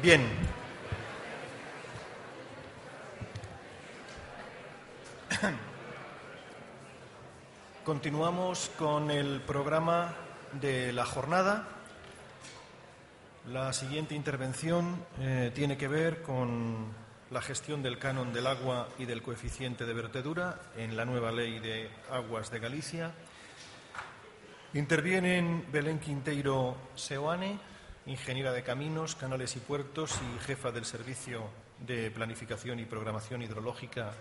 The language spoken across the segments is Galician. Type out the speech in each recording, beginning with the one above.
Bien. Continuamos con el programa de la jornada. La siguiente intervención tiene que ver con la gestión del canon del agua y del coeficiente de vertedura en la nueva Ley de Aguas de Galicia. Intervienen Belén Quinteiro Seoane, ingeniera de Caminos, Canales y Puertos y jefa del Servicio de Planificación y Programación Hidrológica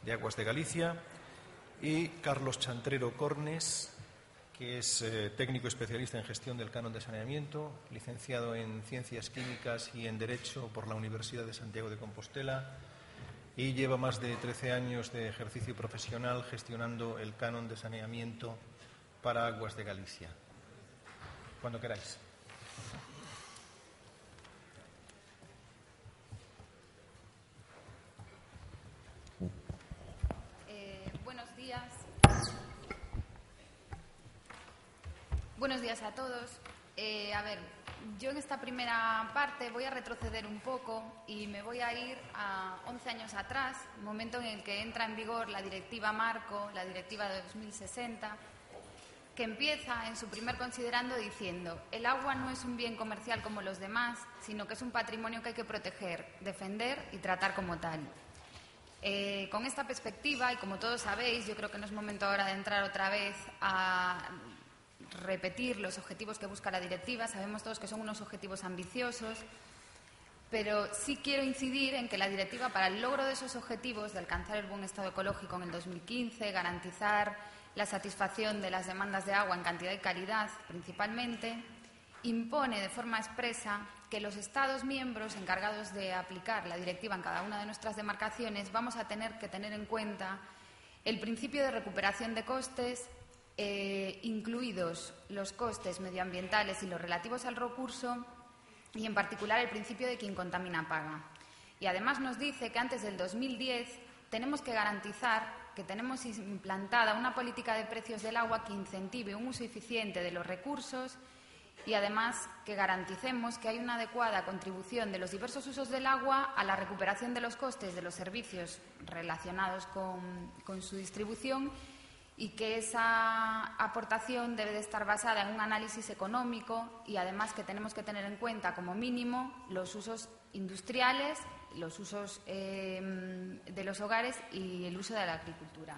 de Aguas de Galicia, y Carlos Chantrero Cornes, que es técnico especialista en gestión del canon de saneamiento, licenciado en Ciencias Químicas y en Derecho por la Universidad de Santiago de Compostela, y lleva más de 13 años de ejercicio profesional gestionando el canon de saneamiento para Aguas de Galicia. Cuando queráis. Buenos días a todos. Yo en esta primera parte voy a retroceder un poco y me voy a ir a 11 años atrás, momento en el que entra en vigor la Directiva Marco, la Directiva de 2060, que empieza en su primer considerando diciendo: el agua no es un bien comercial como los demás, sino que es un patrimonio que hay que proteger, defender y tratar como tal. Con esta perspectiva, y como todos sabéis, yo creo que no es momento ahora de entrar otra vez a repetir los objetivos que busca la directiva. Sabemos todos que son unos objetivos ambiciosos, pero sí quiero incidir en que la directiva, para el logro de esos objetivos de alcanzar el buen estado ecológico en el 2015, garantizar la satisfacción de las demandas de agua en cantidad y calidad principalmente, impone de forma expresa que los Estados miembros encargados de aplicar la directiva en cada una de nuestras demarcaciones vamos a tener que tener en cuenta el principio de recuperación de costes, incluidos los costes medioambientales y los relativos al recurso, y en particular el principio de quien contamina paga. Y además nos dice que antes del 2010 tenemos que garantizar que tenemos implantada una política de precios del agua que incentive un uso eficiente de los recursos, y además que garanticemos que hay una adecuada contribución de los diversos usos del agua a la recuperación de los costes de los servicios relacionados con su distribución, y que esa aportación debe de estar basada en un análisis económico, y además que tenemos que tener en cuenta como mínimo los usos industriales, los usos de los hogares y el uso de la agricultura.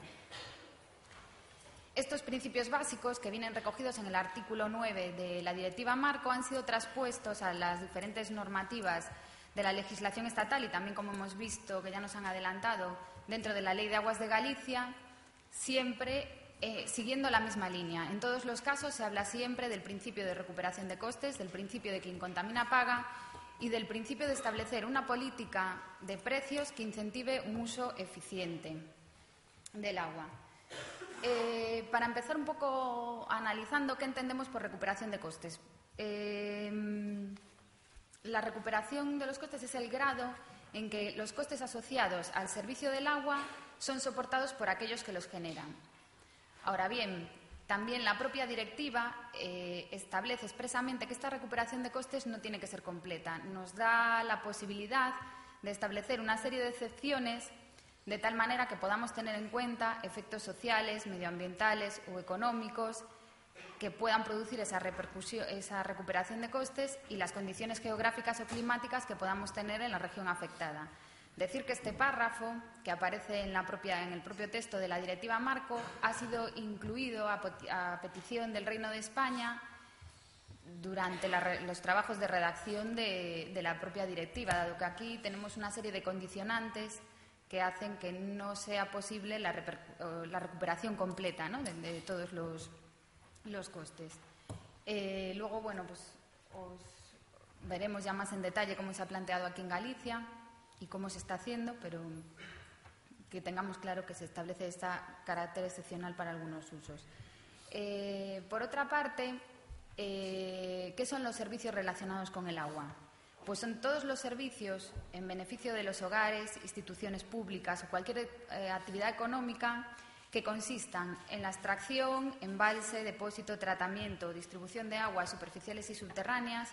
Estos principios básicos, que vienen recogidos en el artículo 9 de la Directiva Marco, han sido traspuestos a las diferentes normativas de la legislación estatal y también, como hemos visto, que ya nos han adelantado, dentro de la Ley de Aguas de Galicia, siempre siguiendo la misma línea. En todos los casos se habla siempre del principio de recuperación de costes, del principio de quien contamina paga y del principio de establecer una política de precios que incentive un uso eficiente del agua. Para empezar un poco analizando qué entendemos por recuperación de costes. La recuperación de los costes es el grado en que los costes asociados al servicio del agua son soportados por aquellos que los generan. Ahora bien, también la propia directiva establece expresamente que esta recuperación de costes no tiene que ser completa. Nos da la posibilidad de establecer una serie de excepciones de tal manera que podamos tener en cuenta efectos sociales, medioambientales o económicos que puedan producir esa recuperación de costes y las condiciones geográficas o climáticas que podamos tener en la región afectada. Decir que este párrafo, que aparece en el propio texto de la Directiva Marco, ha sido incluido a petición del Reino de España durante los trabajos de redacción de la propia directiva, dado que aquí tenemos una serie de condicionantes que hacen que no sea posible la recuperación completa, ¿no?, de todos los costes. Luego, pues veremos ya más en detalle cómo se ha planteado aquí en Galicia y cómo se está haciendo, pero que tengamos claro que se establece este carácter excepcional para algunos usos. Por otra parte, ¿qué son los servicios relacionados con el agua? Pues son todos los servicios en beneficio de los hogares, instituciones públicas o cualquier actividad económica que consistan en la extracción, embalse, depósito, tratamiento o distribución de aguas superficiales y subterráneas,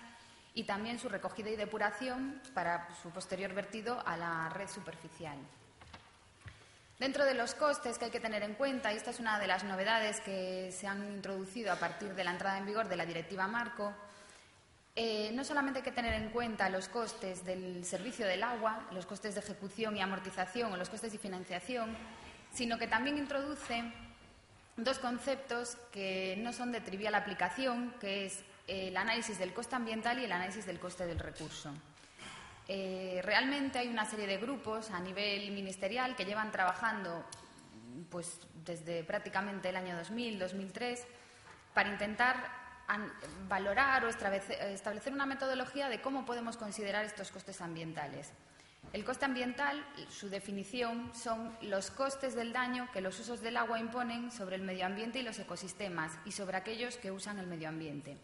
y también su recogida y depuración para su posterior vertido a la red superficial. Dentro de los costes que hay que tener en cuenta, y esta es una de las novedades que se han introducido a partir de la entrada en vigor de la Directiva Marco, no solamente hay que tener en cuenta los costes del servicio del agua, los costes de ejecución y amortización o los costes de financiación, sino que también introduce dos conceptos que no son de trivial aplicación, que es el análisis del coste ambiental y el análisis del coste del recurso. Realmente hay una serie de grupos a nivel ministerial que llevan trabajando pues, desde prácticamente el año 2000, 2003, para intentar valorar o establecer una metodología de cómo podemos considerar estos costes ambientales. El coste ambiental, su definición, son los costes del daño que los usos del agua imponen sobre el medio ambiente y los ecosistemas y sobre aquellos que usan el medio ambiente.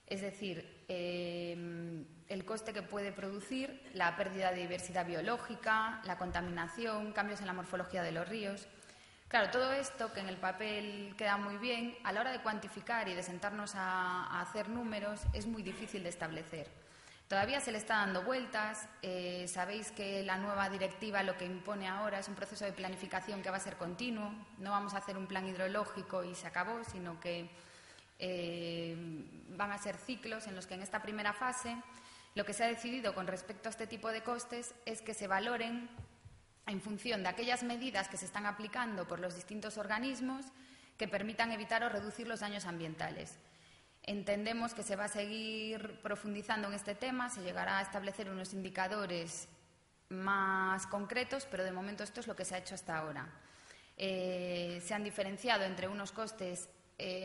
Es decir, el coste que puede producir la pérdida de diversidad biológica, la contaminación, cambios en la morfología de los ríos. Claro, todo esto, que en el papel queda muy bien, a la hora de cuantificar y de sentarnos a hacer números, es muy difícil de establecer. Todavía se le está dando vueltas. Sabéis que la nueva directiva lo que impone ahora es un proceso de planificación que va a ser continuo. No vamos a hacer un plan hidrológico y se acabó, sino que van a ser ciclos en los que en esta primera fase lo que se ha decidido con respecto a este tipo de costes es que se valoren en función de aquellas medidas que se están aplicando por los distintos organismos que permitan evitar o reducir los daños ambientales. Entendemos que se va a seguir profundizando en este tema, se llegará a establecer unos indicadores más concretos, pero de momento esto es lo que se ha hecho hasta ahora. Se han diferenciado entre unos costes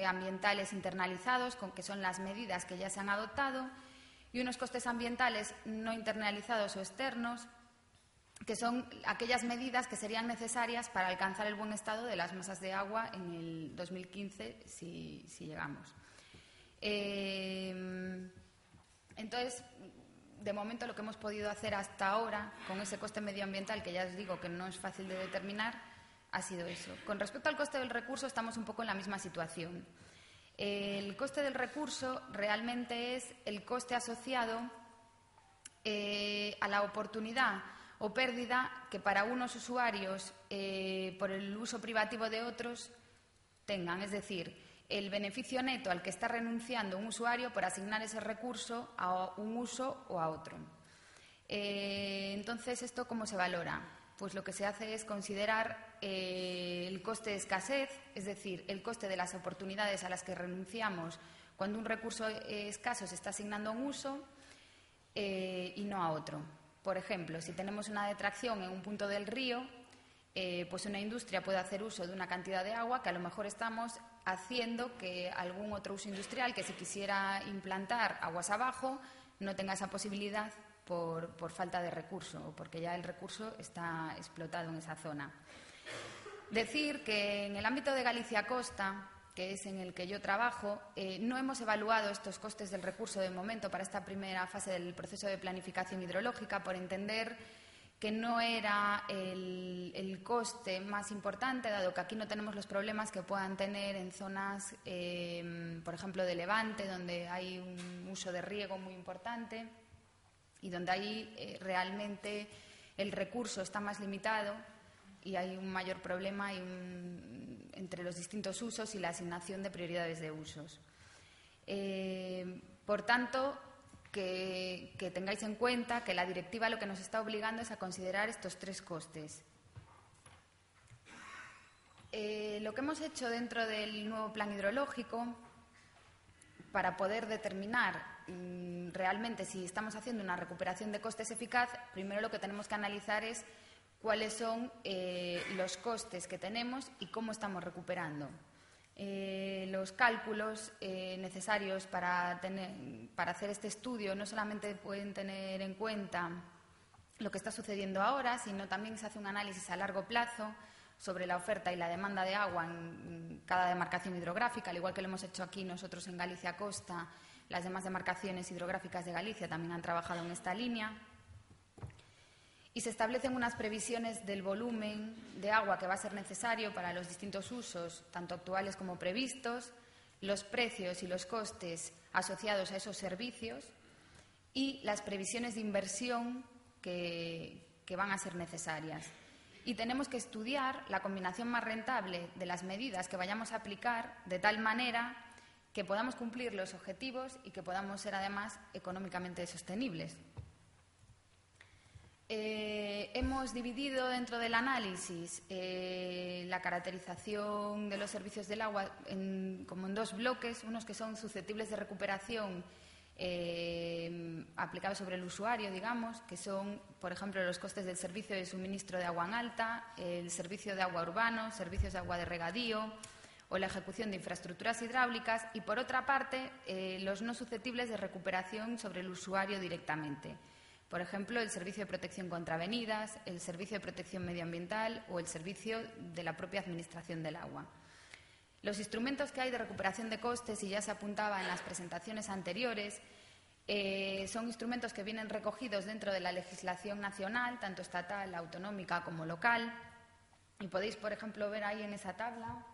ambientales internalizados, que son las medidas que ya se han adoptado, y unos costes ambientales no internalizados o externos, que son aquellas medidas que serían necesarias para alcanzar el buen estado de las masas de agua en el 2015, si llegamos. Entonces, de momento lo que hemos podido hacer hasta ahora con ese coste medioambiental, que ya os digo que no es fácil de determinar, ha sido eso. Con respecto al coste del recurso, estamos un poco en la misma situación. El coste del recurso realmente es el coste asociado a la oportunidad o pérdida que para unos usuarios por el uso privativo de otros tengan. Es decir, el beneficio neto al que está renunciando un usuario por asignar ese recurso a un uso o a otro. Entonces, ¿esto cómo se valora? Pues lo que se hace es considerar el coste de escasez, es decir, el coste de las oportunidades a las que renunciamos cuando un recurso escaso se está asignando a un uso y no a otro. Por ejemplo, si tenemos una detracción en un punto del río, pues una industria puede hacer uso de una cantidad de agua que a lo mejor estamos haciendo que algún otro uso industrial que se quisiera implantar aguas abajo no tenga esa posibilidad por falta de recurso o porque ya el recurso está explotado en esa zona. Decir que en el ámbito de Galicia Costa, que es en el que yo trabajo, no hemos evaluado estos costes del recurso de momento para esta primera fase del proceso de planificación hidrológica por entender que no era el coste más importante, dado que aquí no tenemos los problemas que puedan tener en zonas, por ejemplo, de Levante, donde hay un uso de riego muy importante y donde ahí realmente el recurso está más limitado y hay un mayor problema entre los distintos usos y la asignación de prioridades de usos. Por tanto, que tengáis en cuenta que la directiva lo que nos está obligando es a considerar estos tres costes. Lo que hemos hecho dentro del nuevo plan hidrológico para poder determinar realmente si estamos haciendo una recuperación de costes eficaz, primero lo que tenemos que analizar es cuáles son los costes que tenemos y cómo estamos recuperando. Los cálculos necesarios para hacer este estudio no solamente pueden tener en cuenta lo que está sucediendo ahora, sino también se hace un análisis a largo plazo sobre la oferta y la demanda de agua en cada demarcación hidrográfica, al igual que lo hemos hecho aquí nosotros en Galicia Costa. Las demás demarcaciones hidrográficas de Galicia también han trabajado en esta línea. Y se establecen unas previsiones del volumen de agua que va a ser necesario para los distintos usos, tanto actuales como previstos, los precios y los costes asociados a esos servicios y las previsiones de inversión que van a ser necesarias. Y tenemos que estudiar la combinación más rentable de las medidas que vayamos a aplicar de tal manera que podamos cumplir los objetivos y que podamos ser, además, económicamente sostenibles. Hemos dividido dentro del análisis la caracterización de los servicios del agua como en dos bloques, unos que son susceptibles de recuperación aplicados sobre el usuario, digamos, que son, por ejemplo, los costes del servicio de suministro de agua en alta, el servicio de agua urbano, servicios de agua de regadío o la ejecución de infraestructuras hidráulicas, y, por otra parte, los no susceptibles de recuperación sobre el usuario directamente. Por ejemplo, el servicio de protección contra avenidas, el servicio de protección medioambiental o el servicio de la propia administración del agua. Los instrumentos que hay de recuperación de costes, y ya se apuntaba en las presentaciones anteriores, son instrumentos que vienen recogidos dentro de la legislación nacional, tanto estatal, autonómica como local. Y podéis, por ejemplo, ver ahí en esa tabla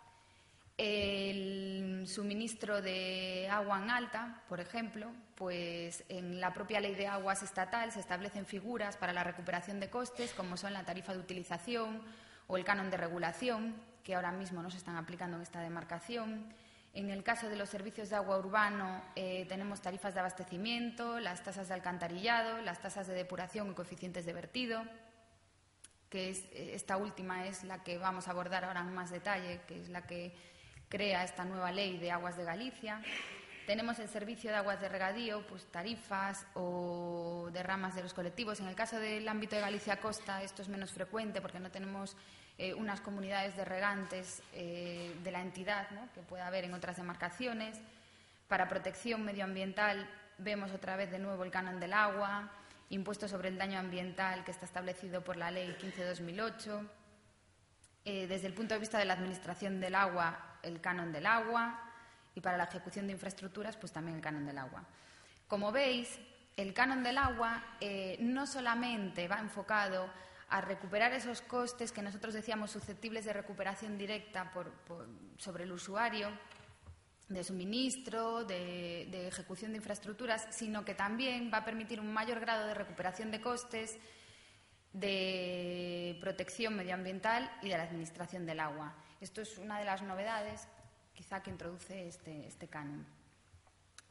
el suministro de agua en alta, por ejemplo, pues en la propia Ley de Aguas estatal se establecen figuras para la recuperación de costes, como son la tarifa de utilización o el canon de regulación, que ahora mismo no se están aplicando en esta demarcación. En el caso de los servicios de agua urbano tenemos tarifas de abastecimiento, las tasas de alcantarillado, las tasas de depuración y coeficientes de vertido, que esta última es la que vamos a abordar ahora en más detalle, que es la que crea esta nueva ley de Aguas de Galicia. Tenemos el servicio de aguas de regadío, pues tarifas o derramas de los colectivos. En el caso del ámbito de Galicia Costa esto es menos frecuente porque no tenemos unas comunidades de regantes de la entidad, ¿no?, que pueda haber en otras demarcaciones. Para protección medioambiental vemos otra vez de nuevo el canon del agua, impuesto sobre el daño ambiental que está establecido por la Ley 15/2008. Desde el punto de vista de la administración del agua, el canon del agua, y para la ejecución de infraestructuras, pues también el canon del agua. Como veis, el canon del agua no solamente va enfocado a recuperar esos costes que nosotros decíamos susceptibles de recuperación directa sobre el usuario, de suministro, de ejecución de infraestructuras, sino que también va a permitir un mayor grado de recuperación de costes, de protección medioambiental y de la administración del agua. Esto es una de las novedades, quizá, que introduce este canon.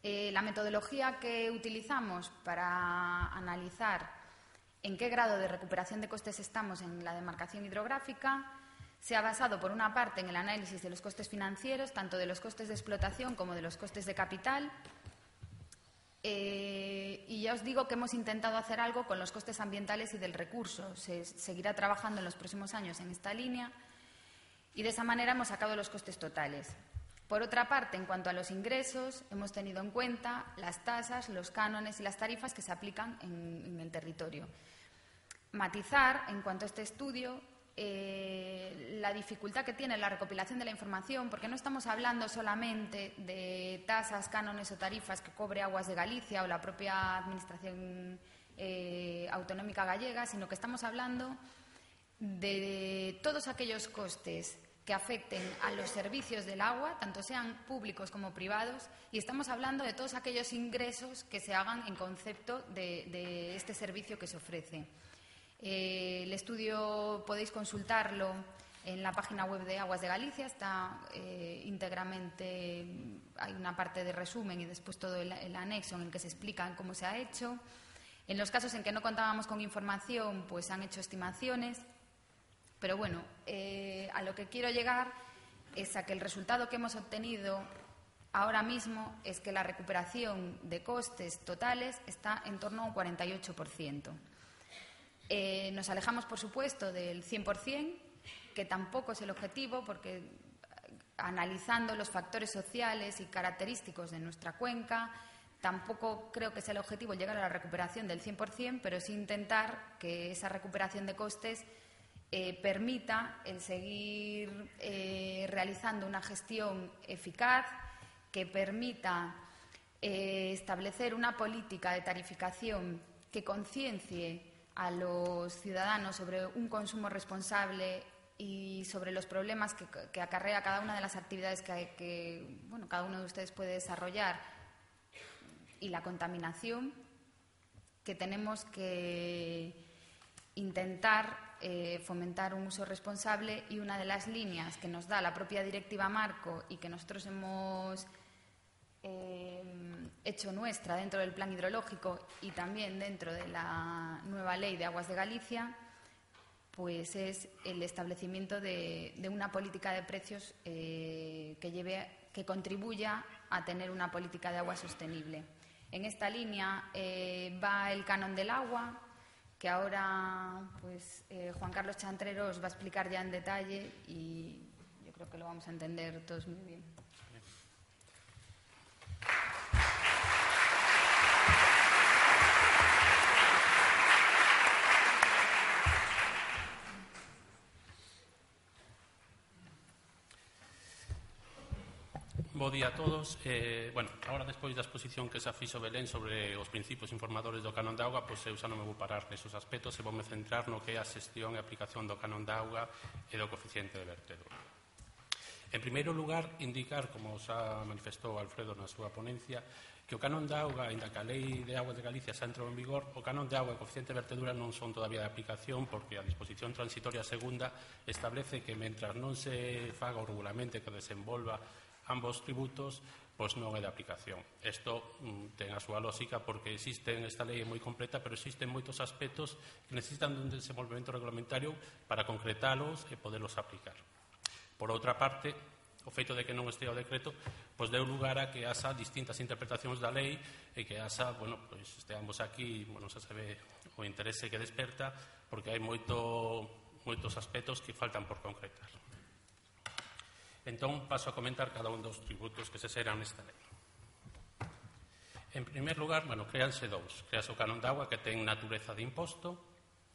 La metodología que utilizamos para analizar en qué grado de recuperación de costes estamos en la demarcación hidrográfica se ha basado, por una parte, en el análisis de los costes financieros, tanto de los costes de explotación como de los costes de capital. Y ya os digo que hemos intentado hacer algo con los costes ambientales y del recurso. Se seguirá trabajando en los próximos años en esta línea y de esa manera hemos sacado los costes totales. Por otra parte, en cuanto a los ingresos, hemos tenido en cuenta las tasas, los cánones y las tarifas que se aplican en el territorio. Matizar, en cuanto a este estudio, la dificultad que tiene la recopilación de la información, porque no estamos hablando solamente de tasas, cánones o tarifas que cobre Aguas de Galicia o la propia Administración Autonómica Gallega, sino que estamos hablando de todos aquellos costes que afecten a los servicios del agua, tanto sean públicos como privados, y estamos hablando de todos aquellos ingresos que se hagan en concepto de este servicio que se ofrece. El estudio podéis consultarlo en la página web de Aguas de Galicia, está íntegramente, hay una parte de resumen y después todo el anexo en el que se explica cómo se ha hecho. En los casos en que no contábamos con información, pues han hecho estimaciones, pero bueno, a lo que quiero llegar es a que el resultado que hemos obtenido ahora mismo es que la recuperación de costes totales está en torno a un 48%. Nos alejamos, por supuesto, del 100%, que tampoco es el objetivo, porque analizando los factores sociales y característicos de nuestra cuenca, tampoco creo que sea el objetivo llegar a la recuperación del 100%, pero sí intentar que esa recuperación de costes permita el seguir realizando una gestión eficaz, que permita establecer una política de tarificación que conciencie a los ciudadanos sobre un consumo responsable y sobre los problemas que acarrea cada una de las actividades que cada uno de ustedes puede desarrollar y la contaminación. que tenemos que intentar fomentar un uso responsable, y una de las líneas que nos da la propia Directiva Marco y que nosotros hemos hecho nuestra dentro del Plan Hidrológico y también dentro de la nueva Ley de Aguas de Galicia, pues es el establecimiento de una política de precios que contribuya a tener una política de agua sostenible. En esta línea va el canon del agua, que ahora pues, Juan Carlos Chantrero os va a explicar ya en detalle, y yo creo que lo vamos a entender todos muy bien. Bo día a todos. Agora, despois da exposición que se fixo Belén sobre os principios informadores do canon de auga, pois eu xa non me vou parar nesos aspectos e voume centrar no que é a xestión e aplicación do canon de auga e do coeficiente de vertedura. En primeiro lugar, indicar, como xa manifestou Alfredo na súa ponencia, que o canon de auga, aínda que a Lei de Aguas de Galicia xa entrou en vigor, o canon de auga e o coeficiente de vertedura non son todavía de aplicación, porque a disposición transitoria segunda establece que, mentras non se faga o regulamento que desenvolva ambos tributos, pois non é de aplicación. Isto ten a súa lógica porque esta lei é moi completa, pero existen moitos aspectos que necesitan dun desenvolvemento regulamentario para concretalos e poderlos aplicar. Por outra parte, o feito de que non estea o decreto pois deu lugar a que haxa distintas interpretacións da lei e que haxa, pois esteamos aquí, xa se ve o interese que desperta, porque hai moitos aspectos que faltan por concretar. Entón, paso a comentar cada un dos tributos que se serán nesta lei. En primer lugar, créanse dous. Créase o canon de auga, que ten natureza de imposto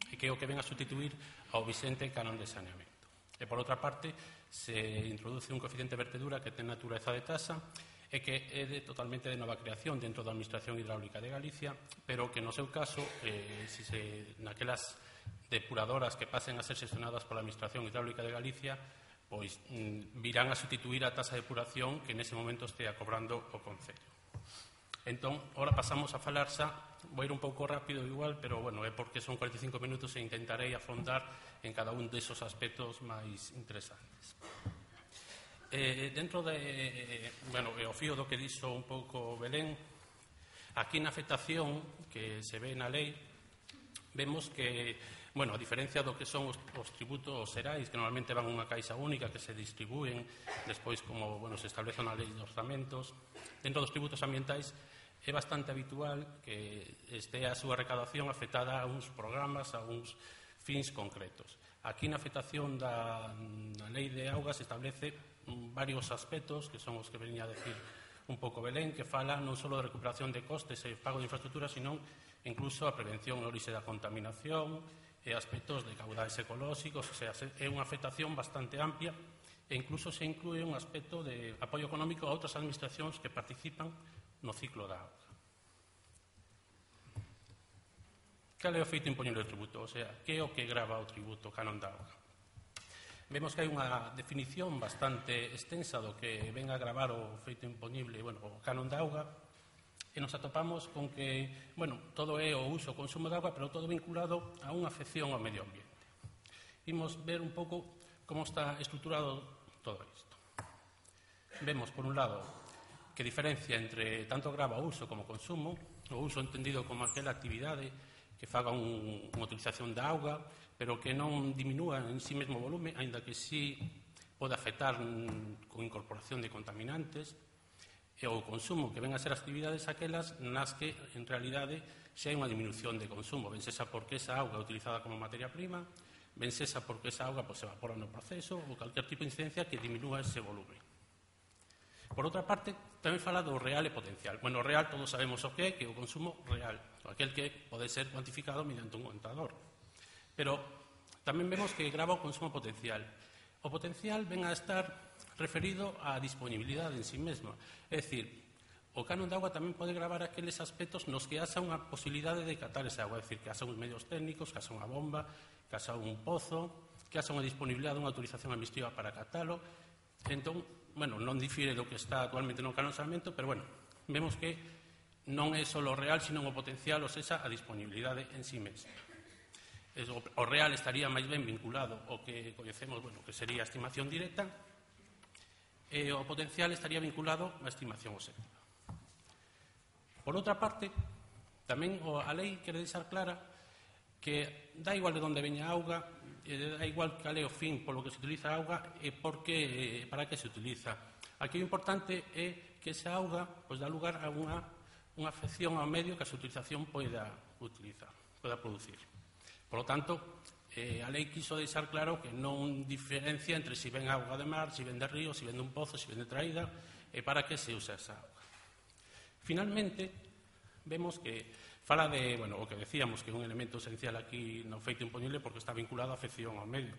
e que é o que ven a sustituir ao vicente canon de saneamento. E, por outra parte, se introduce un coeficiente de vertedura que ten natureza de tasa e que é totalmente de nova creación dentro da Administración Hidráulica de Galicia, pero que, no seu caso, naquelas depuradoras que pasen a ser xestionadas pola Administración Hidráulica de Galicia, pois virán a sustituir a tasa de depuración que nese momento estea cobrando o Concello. Entón, ahora pasamos a falar xa, vou ir un pouco rápido igual, pero é porque son 45 minutos e intentarei afondar en cada un desos aspectos máis interesantes. Dentro o fío do que dixo un pouco Belén, aquí na afectación que se ve na lei, vemos que, a diferencia do que son os tributos xerais, que normalmente van a unha caixa única que se distribúen despois como se establece na lei de orzamentos, dentro dos tributos ambientais é bastante habitual que estea a súa recaudación afectada a uns programas, a uns fins concretos. Aquí na afectación da lei de augas se establece varios aspectos, que son os que venía a decir un pouco Belén, que fala non só de recuperación de costes e pago de infraestructura, sino incluso a prevención e orixe da contaminación e aspectos de caudais ecolóxicos, é unha afectación bastante amplia e incluso se inclúe un aspecto de apoio económico a outras administracións que participan no ciclo da auga. Cal é o feito impoñer o tributo? Que é o que grava o tributo canon da auga? Vemos que hai unha definición bastante extensa do que ven a gravar o feito impoñible, o canon da auga, e nos atopamos con que, todo é o uso e consumo de auga, pero todo vinculado a unha afección ao medio ambiente. Imos ver un pouco como está estruturado todo isto. Vemos, por un lado, que diferencia entre tanto grava o uso como consumo, o uso entendido como aquela actividade que faga unha utilización da auga, pero que non diminúa en sí mesmo o volume, aínda que sí pode afectar con incorporación de contaminantes, e o consumo, que ven a ser actividades aquelas nas que, en realidade, xa hai unha diminución de consumo. Ben sexa porque esa auga é utilizada como materia prima, ben sexa porque esa auga se evapora no proceso, ou calquer tipo de incidencia que diminúa ese volume. Por outra parte, tamén fala do real e potencial. O real todos sabemos o que é o consumo real, aquel que pode ser cuantificado mediante un contador. Pero tamén vemos que grava o consumo potencial. O potencial ven a estar referido á disponibilidade en sí mesma. É dicir, o canon de auga tamén pode gravar aqueles aspectos nos que haxa unha posibilidade de catar esa auga, é dicir, que haxa uns medios técnicos, que haxa unha bomba, que haxa un pozo, que haxa unha disponibilidade, unha autorización administrativa para catalo. Entón, non difire do que está actualmente no canon de saneamento, pero vemos que non é só o real, sino o potencial, ou seja, a disponibilidade en si mesma. O real estaría máis ben vinculado ao que coñecemos, que sería a estimación directa, e o potencial estaría vinculado á estimación obxectiva. Por outra parte, tamén a lei quere deixar clara que dá igual de onde veña a auga, dá igual cal é o fin polo que se utiliza a auga e para que se utiliza. Aquí o importante é que esa auga dá lugar a unha afección ao medio que a súa utilización poida producir. Por lo tanto, a lei quiso deixar claro que non diferencia entre si ven auga de mar, si ven de río, si ven dun pozo, si ven de traída, e para que se usa esa auga. Finalmente, vemos que fala de, o que decíamos, que é un elemento esencial aquí no feito impoñible porque está vinculado á afección ao medio.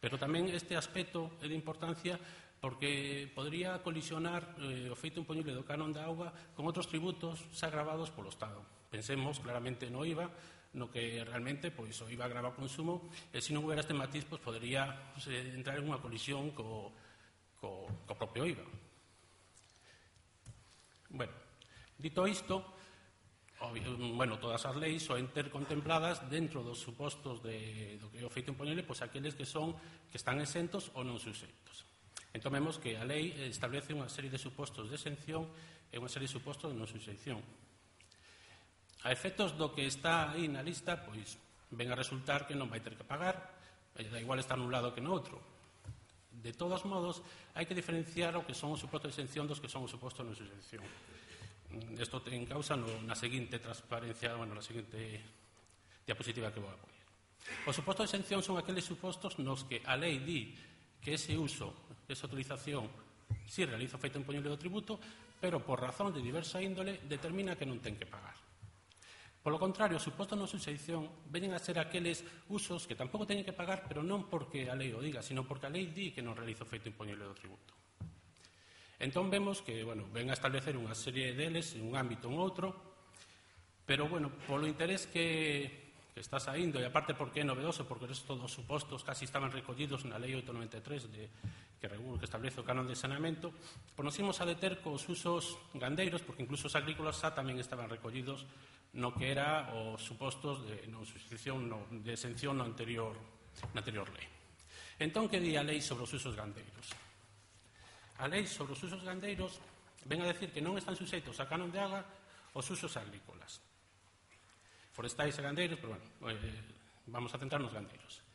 Pero tamén este aspecto é de importancia porque podría colisionar o feito impoñible do canon da auga con outros tributos xa gravados polo Estado. Pensemos claramente no IVA, no que realmente o IVA grava o consumo, e se non houbera este matiz, podería entrar en unha colisión co propio IVA. Dito isto, todas as leis soen ter contempladas dentro dos supostos do que é o feito impoñible, aqueles que están exentos ou non suxeitos. Entón vemos que a lei establece unha serie de supostos de exención e unha serie de supostos de non suxeición. A efectos do que está aí na lista, ven a resultar que non vai ter que pagar, da igual estar nun lado que no outro. De todos modos, hai que diferenciar o que son os supostos de exención dos que son os supostos de non suxeición. Isto ten causa na seguinte transparencia, na seguinte diapositiva que vou a poner. Os supostos de exención son aqueles supostos nos que a lei di que ese uso, esa utilización, si realiza o feito impoñible do tributo, pero por razón de diversa índole determina que non ten que pagar. Polo contrario, os supostos de non suxeición veñen a ser aqueles usos que tampouco teñen que pagar, pero non porque a lei o diga, sino porque a lei di que non realiza o feito impoñible do tributo. Entón vemos que, ven a establecer unha serie deles en un ámbito ou outro, pero, polo interés que está saindo, e aparte porque é novedoso, porque todos os supostos casi estaban recollidos na Lei 893 que establece o canon de saneamento, nos imos a deter cos usos gandeiros, porque incluso os agrícolas xa tamén estaban recollidos no que era os supostos de non suxeición, de exención na anterior lei. Entón, que di a lei sobre os usos gandeiros? A lei sobre os usos gandeiros ven a decir que non están suxeitos a canon de auga os usos agrícolas, forestais e gandeiros, pero vamos a centrar nos gandeiros.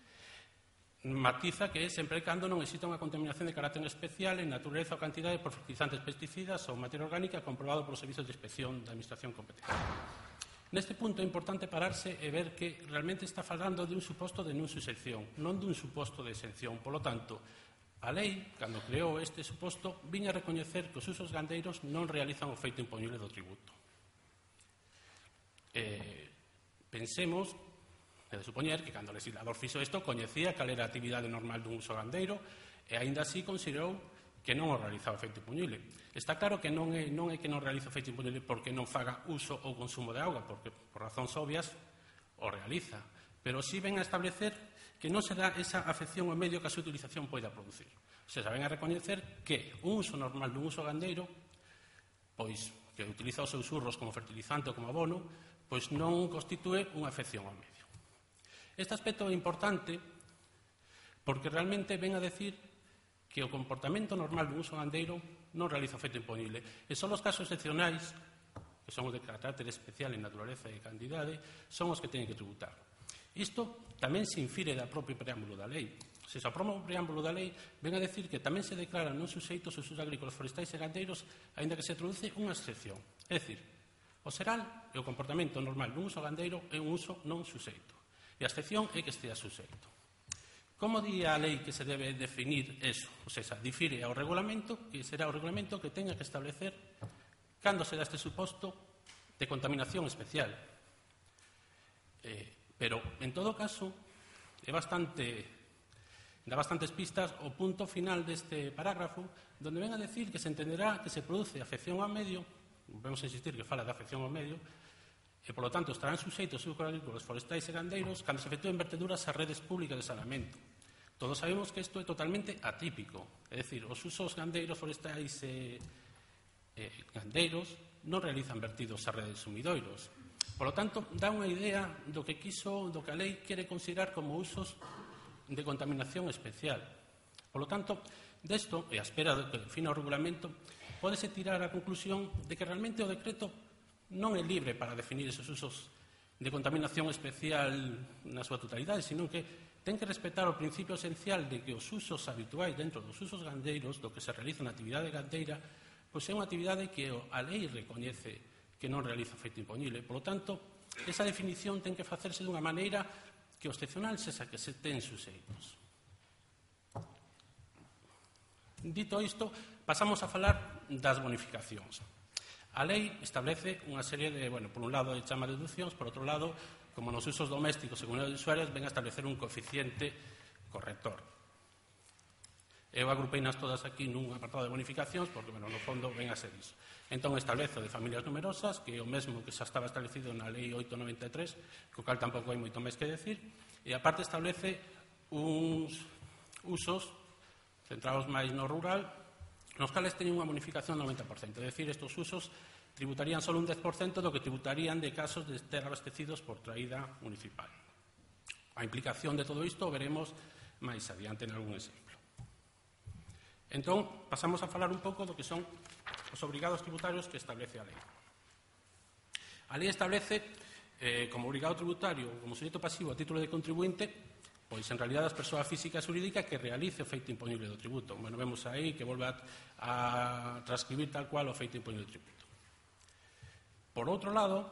Matiza que é sempre cando non exista unha contaminación de carácter especial en natureza ou cantidade por fertilizantes, pesticidas ou materia orgánica comprobado polos servizos de inspección da administración competente. Neste punto é importante pararse e ver que realmente está falando de un suposto de non suxeición, non dun suposto de exención. Polo tanto, a lei, cando creou este suposto, viña a recoñecer que os usos gandeiros non realizan o feito impoñible do tributo. Pensemos, é de supoñer que cando o legislador fixo isto coñecía cal era a actividade normal dun uso gandeiro e aínda así considerou que non o realizaba o feito impoñible. Está claro que non é que non realiza o feito impoñible porque non faga uso ou consumo de auga, porque por razóns obvias o realiza, pero sí ven a establecer que non se dá esa afección ao medio que a súa utilización poida producir. O sea, ven a recoñecer que un uso normal dun uso gandeiro, pois que utiliza os seus urros como fertilizante ou como abono, pois non constitúe unha afección ao medio. Este aspecto é importante porque realmente ven a decir que o comportamento normal dun uso gandeiro non realiza o feito impoñible. E son os casos excepcionais, que son os de carácter especial en naturaleza e cantidade, son os que teñen que tributar. Isto tamén se infire da propio preámbulo da lei. Se o propio preámbulo da lei ven a decir que tamén se declaran non suxeitos os usos agrícolas, forestais e gandeiros, aínda que se introduce unha excepción. É dicir, o seral e o comportamento normal dun uso gandeiro é un uso non suxeito. E a excepción é que estea suxeito. Como di a lei que se debe definir eso? O sea, difire ao regulamento, que será o regulamento que tenga que establecer cando se dá este suposto de contaminación especial. Pero, en todo caso, dá bastantes pistas o punto final deste parágrafo, donde ven a decir que se entenderá que se produce afección ao medio, vamos a insistir que fala de afección ao medio, e, polo tanto, estarán suxeitos os usos agrícolas, forestais e gandeiros cando se efectúen verteduras ás redes públicas de saneamento. Todos sabemos que isto é totalmente atípico, é dicir, os usos gandeiros, forestais e gandeiros non realizan vertidos a redes sumidoiros. Por lo tanto, dá unha idea do que a lei quere considerar como usos de contaminación especial. Por lo tanto, desto, e a espera de que defina o regulamento, pódese tirar a conclusión de que realmente o decreto non é libre para definir esos usos de contaminación especial na súa totalidade, sino que ten que respetar o principio esencial de que os usos habituais dentro dos usos gandeiros, do que se realiza na actividade gandeira, pois é unha actividade que a lei recoñece que non realiza efecto impoñible. Por lo tanto, esa definición ten que facerse dunha maneira que o excepcional sexa que se ten suxeitos. Dito isto, pasamos a falar das bonificacións. A lei establece unha serie de, por un lado, chama deduccións, por outro lado, como nos usos domésticos e comunidades de usuarios, ven a establecer un coeficiente corrector. Eu agrupeinas todas aquí nun apartado de bonificacións, porque, no fondo, ven a ser iso. Entón, establece o de familias numerosas, que é o mesmo que xa estaba establecido na Lei 893, co cal tampouco hai moito máis que decir, e aparte establece uns usos centrados máis no rural, nos cales teñen unha bonificación do 90%. É dicir, estes usos tributarían só un 10% do que tributarían de casos de estar abastecidos por traída municipal. A implicación de todo isto veremos máis adiante en algún exemplo. Entón, pasamos a falar un pouco do que son os obrigados tributarios que establece a lei. A lei establece como obrigado tributario, como suxeito pasivo a título de contribuinte, pois en realidad as persoas físicas e xurídicas que realice o feito impoñible do tributo. Vemos aí que volve a transcribir tal cual o feito impoñible do tributo. Por outro lado,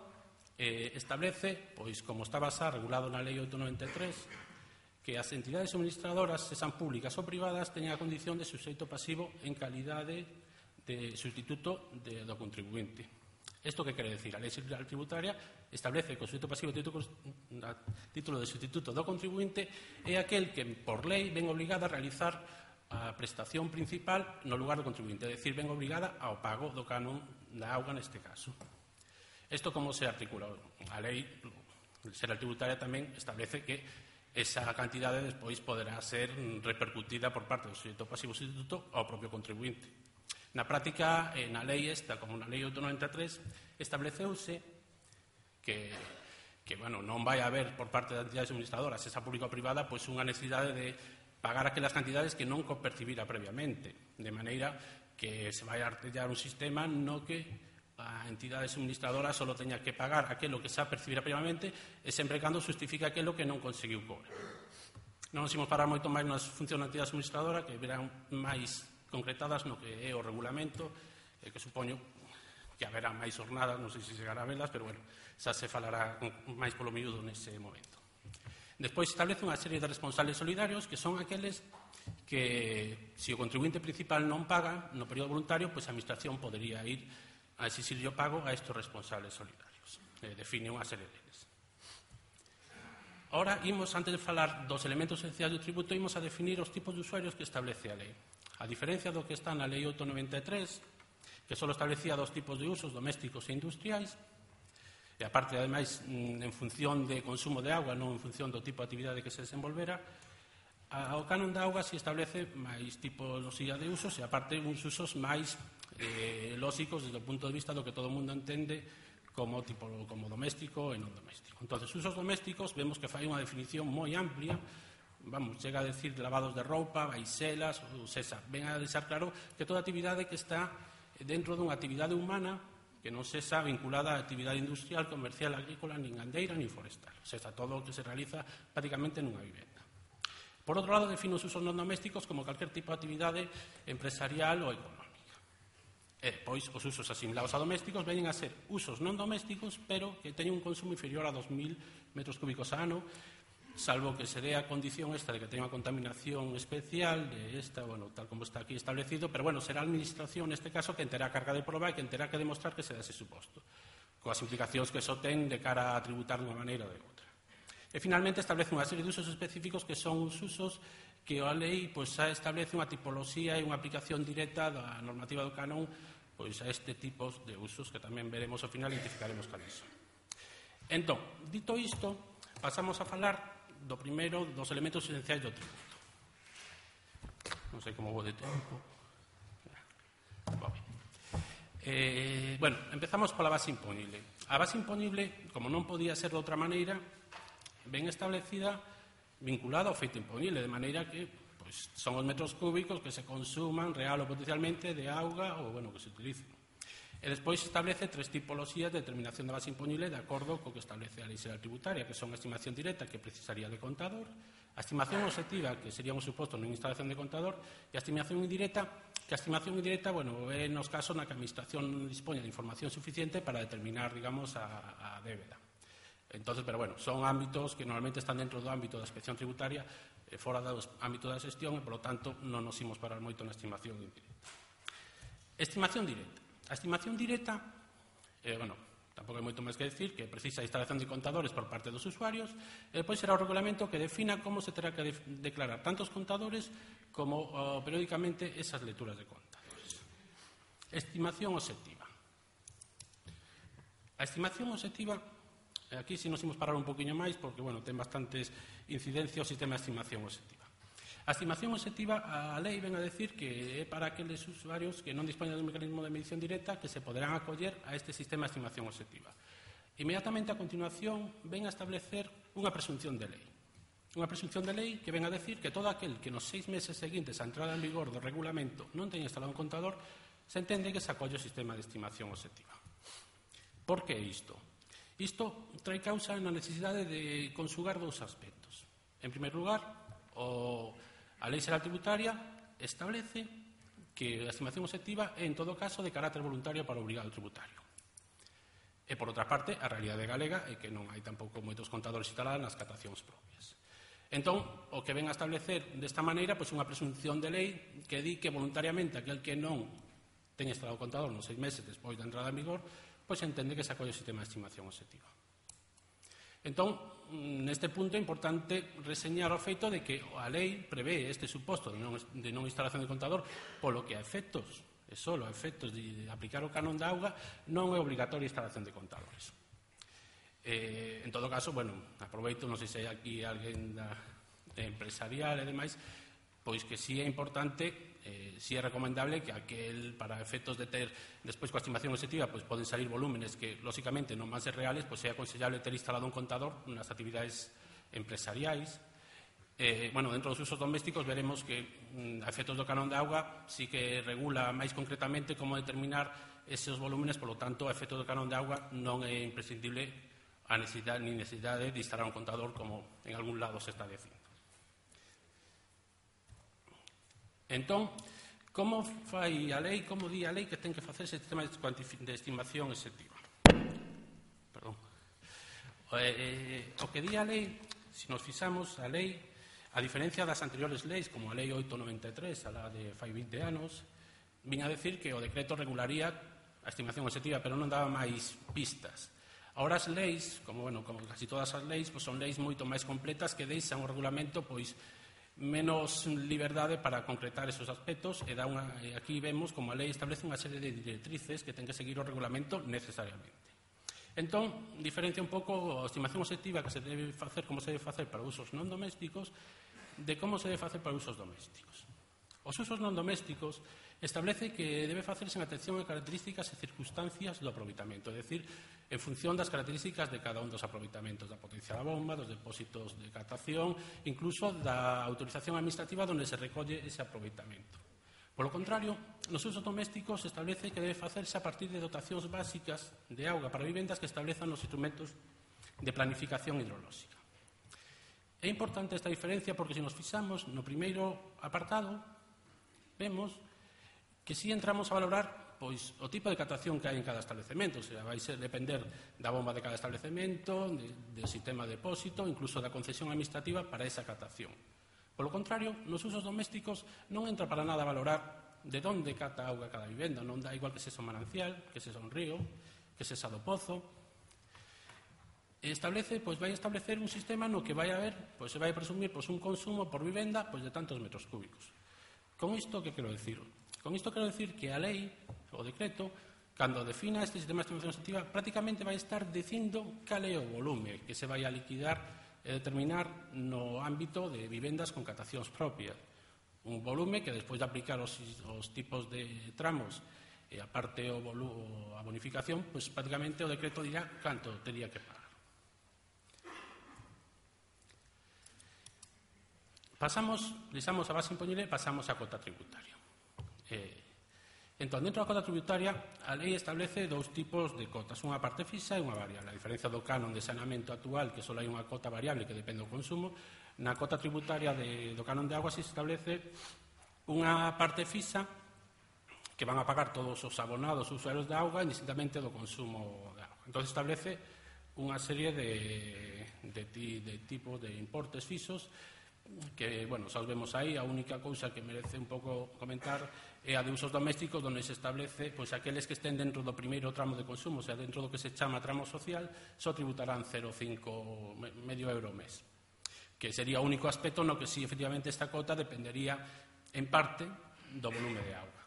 establece, pois como está basado regulado na Lei 893, que as entidades suministradoras, sexan públicas ou privadas, teñan a condición de suxeito pasivo en calidade de sustituto do contribuinte. Isto que quere decir? A Lei Xeral Tributaria establece que o suxeito pasivo a título de sustituto do contribuinte é aquel que, por lei, ven obligada a realizar a prestación principal no lugar do contribuinte, é dicir, ven obligada ao pago do canon da auga neste caso. Isto como se articula? A Lei Xeral Tributaria tamén establece que esa cantidade despois poderá ser repercutida por parte do suxeito pasivo sustituto ao propio contribuinte. Na práctica, na lei esta, como na lei 893, estableceuse que non vai haber por parte das entidades suministradoras, esa pública ou privada, pois unha necesidade de pagar aquelas cantidades que non percibira previamente, de maneira que se vai a artellar un sistema no que a entidade suministradora só teña que pagar aquilo que xa percibira previamente e sempre cando justifica aquilo que non conseguiu cobrar. Non nos imos parar moito máis nas funcións da entidade suministradora, que verán máis concretadas no que é o regulamento, que supoño que haberá máis jornadas, non sei se chegará a velas, pero xa se falará máis polo miúdo nese momento. Despois establece unha serie de responsables solidarios que son aqueles que, se o contribuinte principal non paga no período voluntario, pois a administración podería ir a exixirlle o pago a estes responsables solidarios. Define unha serie deles. Ahora, antes de falar dos elementos esenciais do tributo, imos a definir os tipos de usuarios que establece a lei. A diferencia do que está na Lei 893, que só establecía dos tipos de usos, domésticos e industriais, e aparte, ademais, en función de consumo de auga, non en función do tipo de actividade que se desenvolvera, o canon da auga se establece máis tipoloxía de usos e, aparte, uns usos máis lóxicos desde o punto de vista do que todo o mundo entende como doméstico e non doméstico. Entón, usos domésticos, vemos que fai unha definición moi amplia, chega a decir lavados de roupa, baixelas, ou sexa, ven a deixar claro que toda actividade que está dentro dunha actividade humana que non sexa vinculada a actividade industrial, comercial, agrícola, nin gandeira, nin forestal. O sexa, todo o que se realiza prácticamente nunha vivenda. Por outro lado, define os usos non domésticos como calquer tipo de actividade empresarial ou económica. Pois, os usos asimilados a domésticos veñen a ser usos non domésticos, pero que teñen un consumo inferior a 2.000 metros cúbicos a ano, salvo que se dé a condición esta de que teña unha contaminación especial de esta, tal como está aquí establecido, pero será a administración neste caso que terá a carga de proba e que terá que demostrar que se dá ese suposto, coas implicacións que eso ten de cara a tributar dunha maneira ou de outra. E finalmente establece unha serie de usos específicos que son os usos que a lei xa establece unha tipoloxía e unha aplicación directa da normativa do canon a este tipo de usos que tamén veremos ao final e identificaremos cales son. Entón, dito isto, pasamos a falar do primeiro dos elementos esenciais do tributo. Non sei como vou de tempo. Bueno, empezamos pola base imponible. A base imponible, como non podía ser de outra maneira, ben establecida, vinculada ao feito imponible, de maneira que pois, son os metros cúbicos que se consuman real ou potencialmente de auga ou bueno, que se utilicen. E despois establece 3 tipoloxías de determinación da base imponible de acordo co que establece a Lei Xeral Tributaria, que son a estimación directa, que precisaría de contador, a estimación obxectiva, que sería un suposto nunha instalación de contador, e a estimación indirecta, que a estimación indirecta, bueno, é nos casos na que a Administración dispoña de información suficiente para determinar, digamos, a débeda. Entonces, pero bueno, son ámbitos que normalmente están dentro do ámbito da inspección tributaria, fora do ámbito da xestión, e, polo tanto, non nos imos parar moito na estimación indirecta. Estimación directa. A estimación directa, bueno, tampouco hai moito máis que decir, que precisa a instalación de contadores por parte dos usuarios, e depois será o regulamento que defina como se terá que declarar tanto os contadores como periódicamente esas lecturas de contadores. Estimación obxectiva. A estimación obxectiva, aquí si nos imos parar un poquinho máis, porque, bueno, ten bastantes incidencias o sistema de estimación obxectiva. A estimación obxectiva, a lei ven a decir que é para aqueles usuarios que non dispoñen dun mecanismo de medición directa que se poderán acoller a este sistema de estimación obxectiva. Inmediatamente a continuación ven a establecer unha presunción de lei. Unha presunción de lei que ven a decir que todo aquel que nos 6 meses seguintes á entrada en vigor do regulamento non teña instalado un contador, se entende que se acolle o sistema de estimación obxectiva. Por que isto? Isto trae causa na necesidade de conjugar 2 aspectos. En primer lugar, a Lei Xeral Tributaria establece que a estimación obxectiva é, en todo caso, de carácter voluntario para o obrigado tributario. E, por outra parte, a realidade galega é que non hai tampouco moitos contadores instalados nas catacións propias. Entón, o que ven a establecer desta maneira, pois unha presunción de lei que di que voluntariamente aquel que non ten instalado o contador nos 6 meses despois da entrada en vigor, pois entende que se acolle o sistema de estimación obxectiva. Entón, neste punto é importante reseñar o feito de que a lei prevé este suposto de non instalación de contador, polo que a efectos, e só a efectos de aplicar o canon da auga, non é obrigatoria a instalación de contadores. En todo caso, bueno, aproveito, non sei se hai aquí alguén empresarial e demais, pois que si é importante, si é recomendable que aquel, para efectos de ter, despois coa estimación obxectiva, pois poden salir volúmenes que, lóxicamente, non van ser reales, pois é aconsellable ter instalado un contador nas actividades empresariais. Bueno, dentro dos usos domésticos veremos que, a efectos do canon de auga, sí que regula máis concretamente como determinar esos volúmenes, polo tanto, a efectos do canon de auga non é imprescindible a necesidade de instalar un contador como en algún lado se está dicindo. Entón, como fai a lei, como di a lei que ten que facer ese sistema de estimación obxectiva? Perdón. O que di a lei, se nos fixamos, a lei, a diferencia das anteriores leis, como a lei 893, a la de fai 20 anos, viña a decir que o decreto regularía a estimación obxectiva, pero non daba máis pistas. Agora as leis, como casi todas as leis, pois son leis moito máis completas que deixan o regulamento, pois, menos liberdade para concretar esos aspectos e aquí vemos como a lei establece unha serie de directrices que ten que seguir o regulamento necesariamente. Entón, diferencia un pouco a estimación obxectiva que se debe facer, como se debe facer para usos non domésticos, de como se debe facer para usos domésticos. Os usos non domésticos establece que debe facerse en atención a características e circunstancias do aproveitamento, é dicir, en función das características de cada un dos aproveitamentos, da potencia da bomba, dos depósitos de captación, incluso da autorización administrativa onde se recolle ese aproveitamento. Polo contrario, nos usos domésticos se establece que debe facerse a partir de dotacións básicas de auga para vivendas que establezan os instrumentos de planificación hidrolóxica. É importante esta diferencia porque se nos fixamos no primeiro apartado, vemos que si entramos a valorar pois o tipo de captación que hai en cada establecemento, o sea, vai ser depender da bomba de cada establecemento, do sistema de depósito, incluso da concesión administrativa para esa captación. Polo contrario, nos usos domésticos non entra para nada a valorar de onde cata auga cada vivenda, non dá igual que sexa un manancial, que sexa un río, que sexa do pozo. Vai establecer un sistema no que vai haber, pois se vai presumir un consumo por vivenda de tantos metros cúbicos. Con isto, que quero dicir? Con isto quero dicir que a lei, o decreto, cando defina este sistema de estimación obxectiva, prácticamente vai estar dicindo cal é o volume que se vai a liquidar e determinar no ámbito de vivendas con captacións propias. Un volume que, despois de aplicar os tipos de tramos E aparte a bonificación, pois prácticamente o decreto dirá canto tería que pagar. Deixamos a base impoñible e pasamos á cota tributaria. Entón, dentro da cota tributaria, a lei establece dous tipos de cotas, unha parte fixa e unha variable. A diferencia do canon de saneamento actual, que só hai unha cota variable que depende do consumo, na cota tributaria do canon de agua se establece unha parte fixa que van a pagar todos os abonados usuarios de auga indistintamente do consumo de auga. Entón, establece unha serie de tipos de importes fixos que, bueno, xa os vemos aí. A única cousa que merece un pouco comentar é a de usos domésticos, onde se establece pois aqueles que estén dentro do primeiro tramo de consumo, o sea, dentro do que se chama tramo social, só tributarán 0,5 medio euro ao mes, que sería o único aspecto no que si efectivamente esta cota dependería en parte do volume de auga.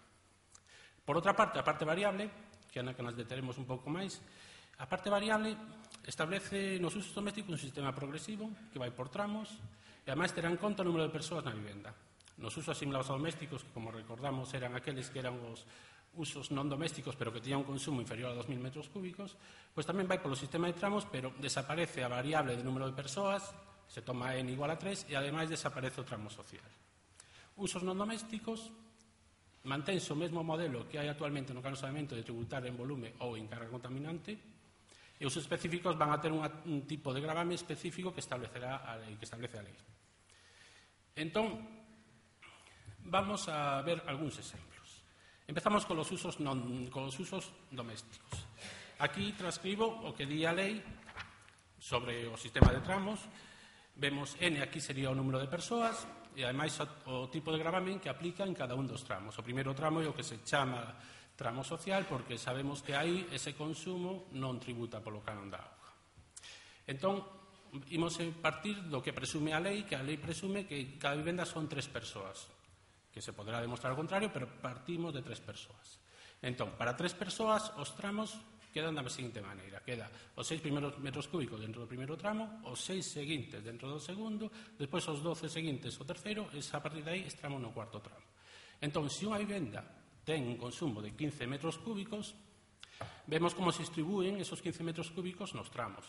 Por outra parte, a parte variable, que é na que nos deteremos un pouco máis, a parte variable establece nos usos domésticos un sistema progresivo que vai por tramos e ademais terá en conta o número de persoas na vivenda. Nos usos asimilados a domésticos, que como recordamos eran aqueles que eran os usos non domésticos pero que tiñan un consumo inferior a 2.000 metros cúbicos, pois tamén vai polo sistema de tramos, pero desaparece a variable de número de persoas, se toma n igual a 3 e ademais desaparece o tramo social. Usos non domésticos, mantense o mesmo modelo que hai actualmente no canon de saneamento de tributar en volume ou en carga contaminante, e os específicos van a ter un tipo de gravame específico que establecerá a lei, que establece a lei. Entón, vamos a ver algúns exemplos. Empezamos con os usos domésticos. Aquí transcribo o que di a lei sobre o sistema de tramos. Vemos N, aquí sería o número de persoas, e ademais o tipo de gravamen que aplica en cada un dos tramos. O primeiro tramo é o que se chama tramo social, porque sabemos que aí ese consumo non tributa polo canon da auga. Entón, imos partir do que presume a lei, que a lei presume que cada vivenda son 3 persoas, que se poderá demostrar o contrario, pero partimos de 3 persoas. Entón, para 3 persoas, os tramos quedan da seguinte maneira. Queda os 6 primeiros metros cúbicos dentro do primeiro tramo, os 6 seguintes dentro do segundo, despois os 12 seguintes o terceiro, e a partir de aí estamos no cuarto tramo. Entón, se unha vivenda ten un consumo de 15 metros cúbicos, vemos como se distribúen esos 15 metros cúbicos nos tramos.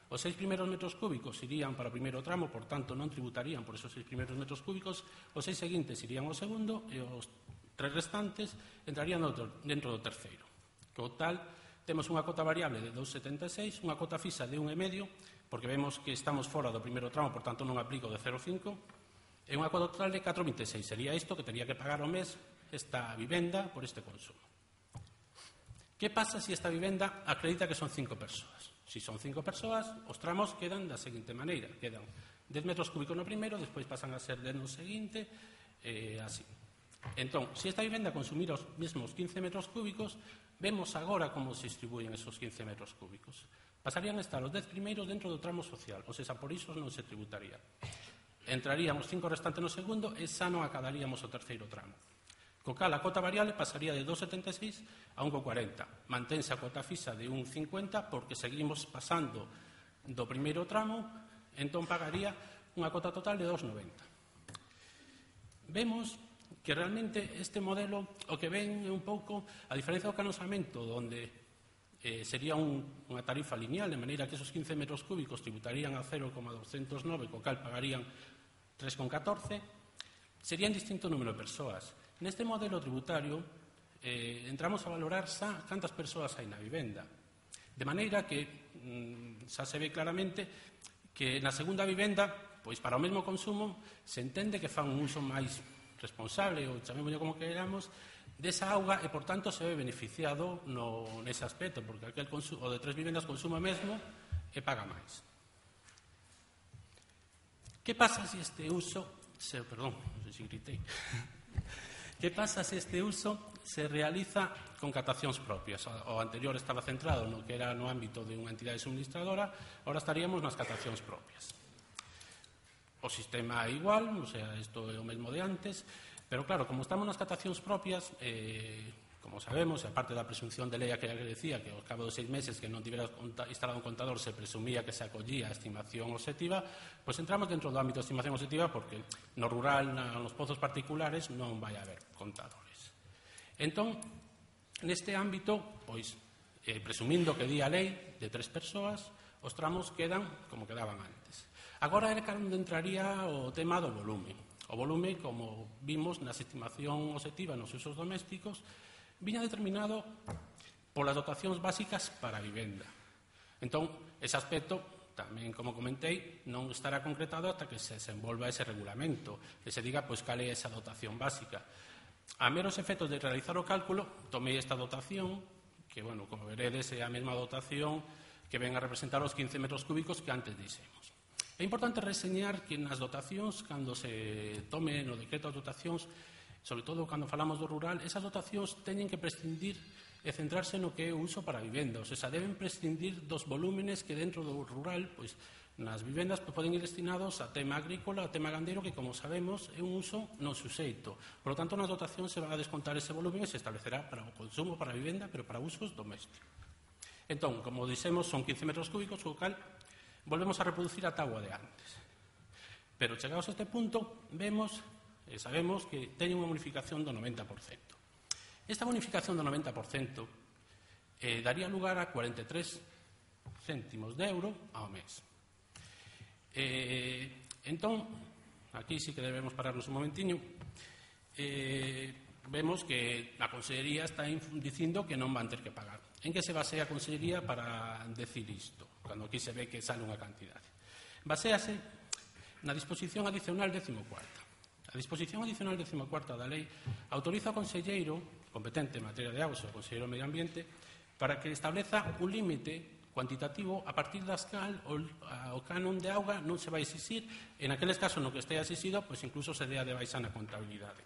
Os 6 primeiros metros cúbicos irían para o primeiro tramo, por tanto non tributarían por esos 6 primeiros metros cúbicos, os 6 seguintes irían ao segundo e os 3 restantes entrarían dentro do terceiro. Co tal, temos unha cota variable de 2,76, unha cota fixa de 1,5, porque vemos que estamos fora do primeiro tramo, por tanto non aplico de 0,5, e unha cota total de 4,26. Sería isto que tería que pagar ao mes esta vivenda por este consumo. Que pasa se esta vivenda acredita que son 5 persoas? Si son 5 persoas, os tramos quedan da seguinte maneira. Quedan 10 metros cúbicos no primeiro, despois pasan a ser 10 no seguinte, así. Entón, se esta vivenda consumira os mesmos 15 metros cúbicos, vemos agora como se distribúen esos 15 metros cúbicos. Pasarían a estar os 10 primeiros dentro do tramo social, ou seja, por iso non se tributaría. Entrarían os 5 restantes no segundo e xa non acabaríamos o terceiro tramo. Co cal, a cota variable pasaría de 2,76 a 1,40. Mantense a cota fixa de 1,50 porque seguimos pasando do primeiro tramo, entón pagaría unha cota total de 2,90. Vemos que realmente este modelo o que ven é un pouco a diferencia do canosamento, onde sería unha tarifa lineal, de maneira que esos 15 metros cúbicos tributarían a 0,209, co cal pagarían 3,14, serían distinto número de persoas. Neste modelo tributario entramos a valorar xa cantas persoas hai na vivenda, de maneira que xa se ve claramente que na segunda vivenda, pois para o mesmo consumo, se entende que fan un uso máis responsable, ou chamémoslle como queramos, desa auga e, por tanto, se ve beneficiado nese aspecto, porque aquel o de 3 vivendas consume mesmo e paga máis. Que pasa se este uso Que pasa se este uso se realiza con captacións propias? O anterior estaba centrado no que era no ámbito de unha entidade suministradora, ahora estaríamos nas captacións propias. O sistema é igual, o sea, isto é o mesmo de antes, pero claro, como estamos nas captacións propias, como sabemos, e aparte da presunción de lei que decía que ao cabo de 6 meses que non tivera instalado un contador se presumía que se acollía a estimación obxectiva, pois entramos dentro do ámbito de estimación obxectiva porque no rural, nos pozos particulares, non vai haber contadores. Entón, Neste ámbito, pois, presumindo que di a lei de 3 persoas, os tramos quedan como quedaban antes. Agora é cando entraría o tema do volume. O volume, como vimos na estimación obxectiva nos usos domésticos, viña determinado polas dotacións básicas para a vivenda. Entón, ese aspecto, tamén, como comentei, non estará concretado hasta que se desenvolva ese regulamento, que se diga pois cal é esa dotación básica. A meros efectos de realizar o cálculo, tomei esta dotación, que, bueno, como veredes, é a mesma dotación que ven a representar os 15 metros cúbicos que antes dixemos. É importante reseñar que nas dotacións, cando se tome no decreto as dotacións, sobre todo cando falamos do rural, esas dotacións teñen que prescindir e centrarse no que é o uso para a vivenda. O sea, deben prescindir dos volúmenes que dentro do rural, pois, nas vivendas poden ir destinados a tema agrícola, a tema gandeiro, que, como sabemos, é un uso non suxeito. Por lo tanto, nas dotacións se va a descontar ese volumen e se establecerá para o consumo, para a vivenda, pero para usos domésticos. Entón, como dixemos, son 15 metros cúbicos, o cal volvemos a reproducir a táboa de antes. Pero, chegados a este punto, vemos e sabemos que teñen unha bonificación do 90%. Esta bonificación do 90% daría lugar a 43 céntimos de euro ao mes. Entón, aquí sí que debemos pararnos un momentiño. Vemos que a Consellería está dicindo que non van ter que pagar. En que se basea a Consellería para decir isto, cando aquí se ve que sale unha cantidade? Baséase na disposición adicional 14ª. A disposición adicional 14ª da lei autoriza ao conselleiro competente en materia de augas, o conselleiro de Medio Ambiente, para que estableza un límite cuantitativo a partir das cal o canon de auga non se vai exixir, en aqueles casos no que estea exixido, pois incluso se dea de baixa na contabilidade.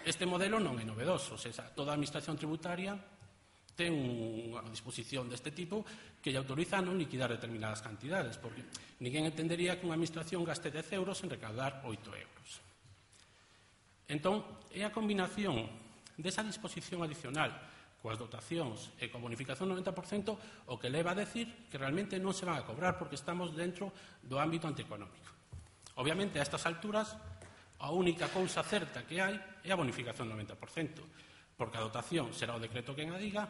Este modelo non é novedoso, toda a administración tributaria ten unha disposición deste tipo que lle autoriza a non liquidar determinadas cantidades, porque ninguén entendería que unha administración gaste 10 euros en recaudar 8 euros. Entón, é a combinación desa disposición adicional coas dotacións e coa bonificación do 90% o que leva a decir que realmente non se van a cobrar porque estamos dentro do ámbito antieconómico. Obviamente, a estas alturas, a única cousa certa que hai é a bonificación do 90%, porque a dotación será o decreto quen a diga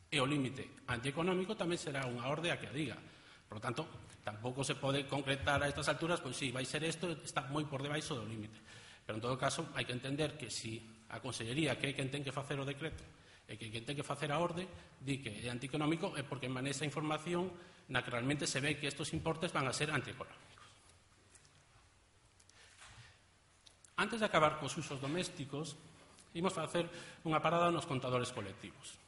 e o límite antieconómico tamén será unha orde a que a diga. Por lo tanto, tampouco se pode concretar a estas alturas, pois sí, vai ser isto, está moi por debaixo do límite. Pero, en todo caso, hai que entender que si a Consellería, que é quen ten que facer o decreto, e que quen ten que facer a orde, di que é antieconómico, é porque manexa información na que realmente se ve que estes importes van a ser antieconómicos. Antes de acabar cos usos domésticos, imos facer unha parada nos contadores colectivos.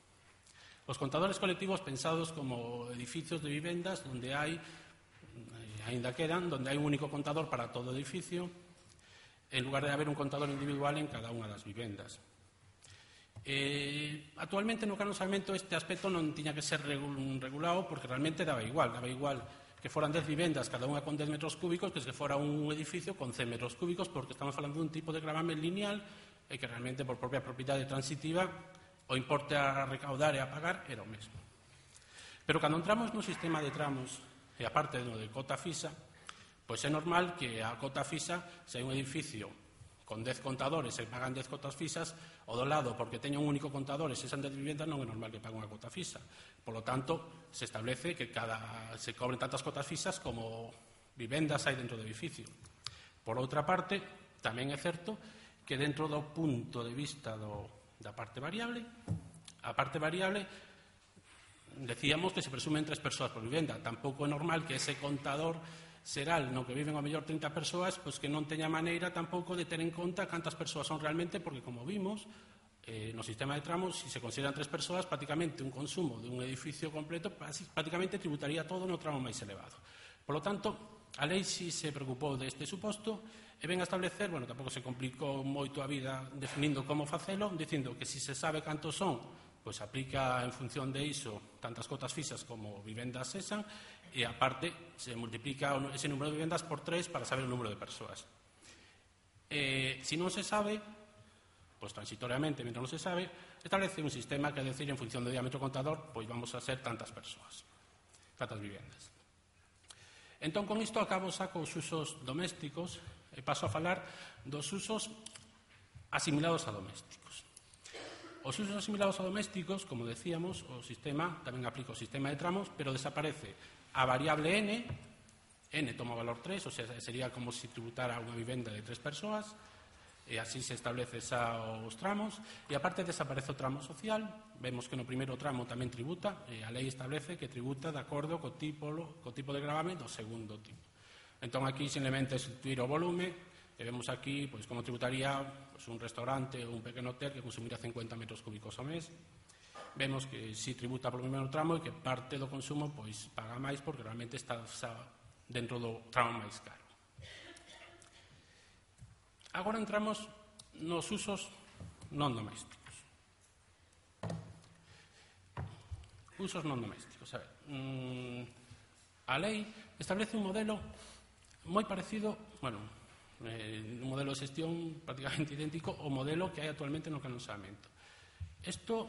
Os contadores colectivos pensados como edificios de vivendas onde hai, aínda quedan, onde hai un único contador para todo o edificio, en lugar de haber un contador individual en cada unha das vivendas. Actualmente no Canon Salmento este aspecto non tiña que ser regulado porque realmente daba igual que foran 10 vivendas, cada unha con 10 metros cúbicos, que se fora un edificio con 100 metros cúbicos, porque estamos falando dun tipo de gravamen lineal e que realmente por propia propiedade transitiva o importe a recaudar e a pagar era o mesmo. Pero cando entramos no sistema de tramos e aparte do de cota fixa, pois é normal que a cota fixa, se hai un edificio con 10 contadores e pagan 10 cotas fixas, o do lado, porque teña un único contador e se san 10 vivendas, non é normal que pague unha cota fixa. Por lo tanto, se establece que se cobren tantas cotas fixas como vivendas hai dentro do edificio. Por outra parte, tamén é certo que dentro do punto de vista da parte variable, a parte variable, decíamos que se presumen 3 persoas por vivenda. Tampouco é normal que ese contador xeral no que viven ao mellor 30 persoas, pois que non teña maneira tampouco de ter en conta cantas persoas son realmente, porque como vimos, no sistema de tramos, se se consideran 3 persoas, prácticamente un consumo de un edificio completo prácticamente tributaría todo no tramo máis elevado. Por lo tanto, a lei si se preocupou deste suposto e ven a establecer, tampouco se complicou moito a vida definindo como facelo, dicindo que si se sabe cantos son, pois aplica en función de iso tantas cotas fixas como vivendas sesan, e aparte se multiplica ese número de vivendas por 3 para saber o número de persoas. Se non se sabe, pois transitoriamente, mentre non se sabe, establece un sistema que decir en función do diámetro contador, pois vamos a ser tantas persoas, tantas vivendas. Entón, con isto acabo saco os usos domésticos e paso a falar dos usos asimilados a domésticos. Os usos asimilados a domésticos, como decíamos, o sistema tamén aplica o sistema de tramos, pero desaparece a variable n toma o valor 3, o sea, sería como se tributara unha vivenda de 3 persoas, e así se establece os tramos, e aparte desaparece o tramo social. Vemos que no primeiro tramo tamén tributa, e a lei establece que tributa de acordo co tipo de gravamen do segundo tipo. Entón, aquí simplemente sustituir o volume, e vemos aquí como tributaría un restaurante ou un pequeno hotel que consumirá 50 metros cúbicos ao mes. Vemos que si tributa polo primeiro tramo e que parte do consumo paga máis porque realmente está dentro do tramo máis caro. Agora entramos nos usos non domésticos. Usos non domésticos. A lei establece un modelo moi parecido, un modelo de xestión prácticamente idéntico ao modelo que hai actualmente no canon saneamento. Isto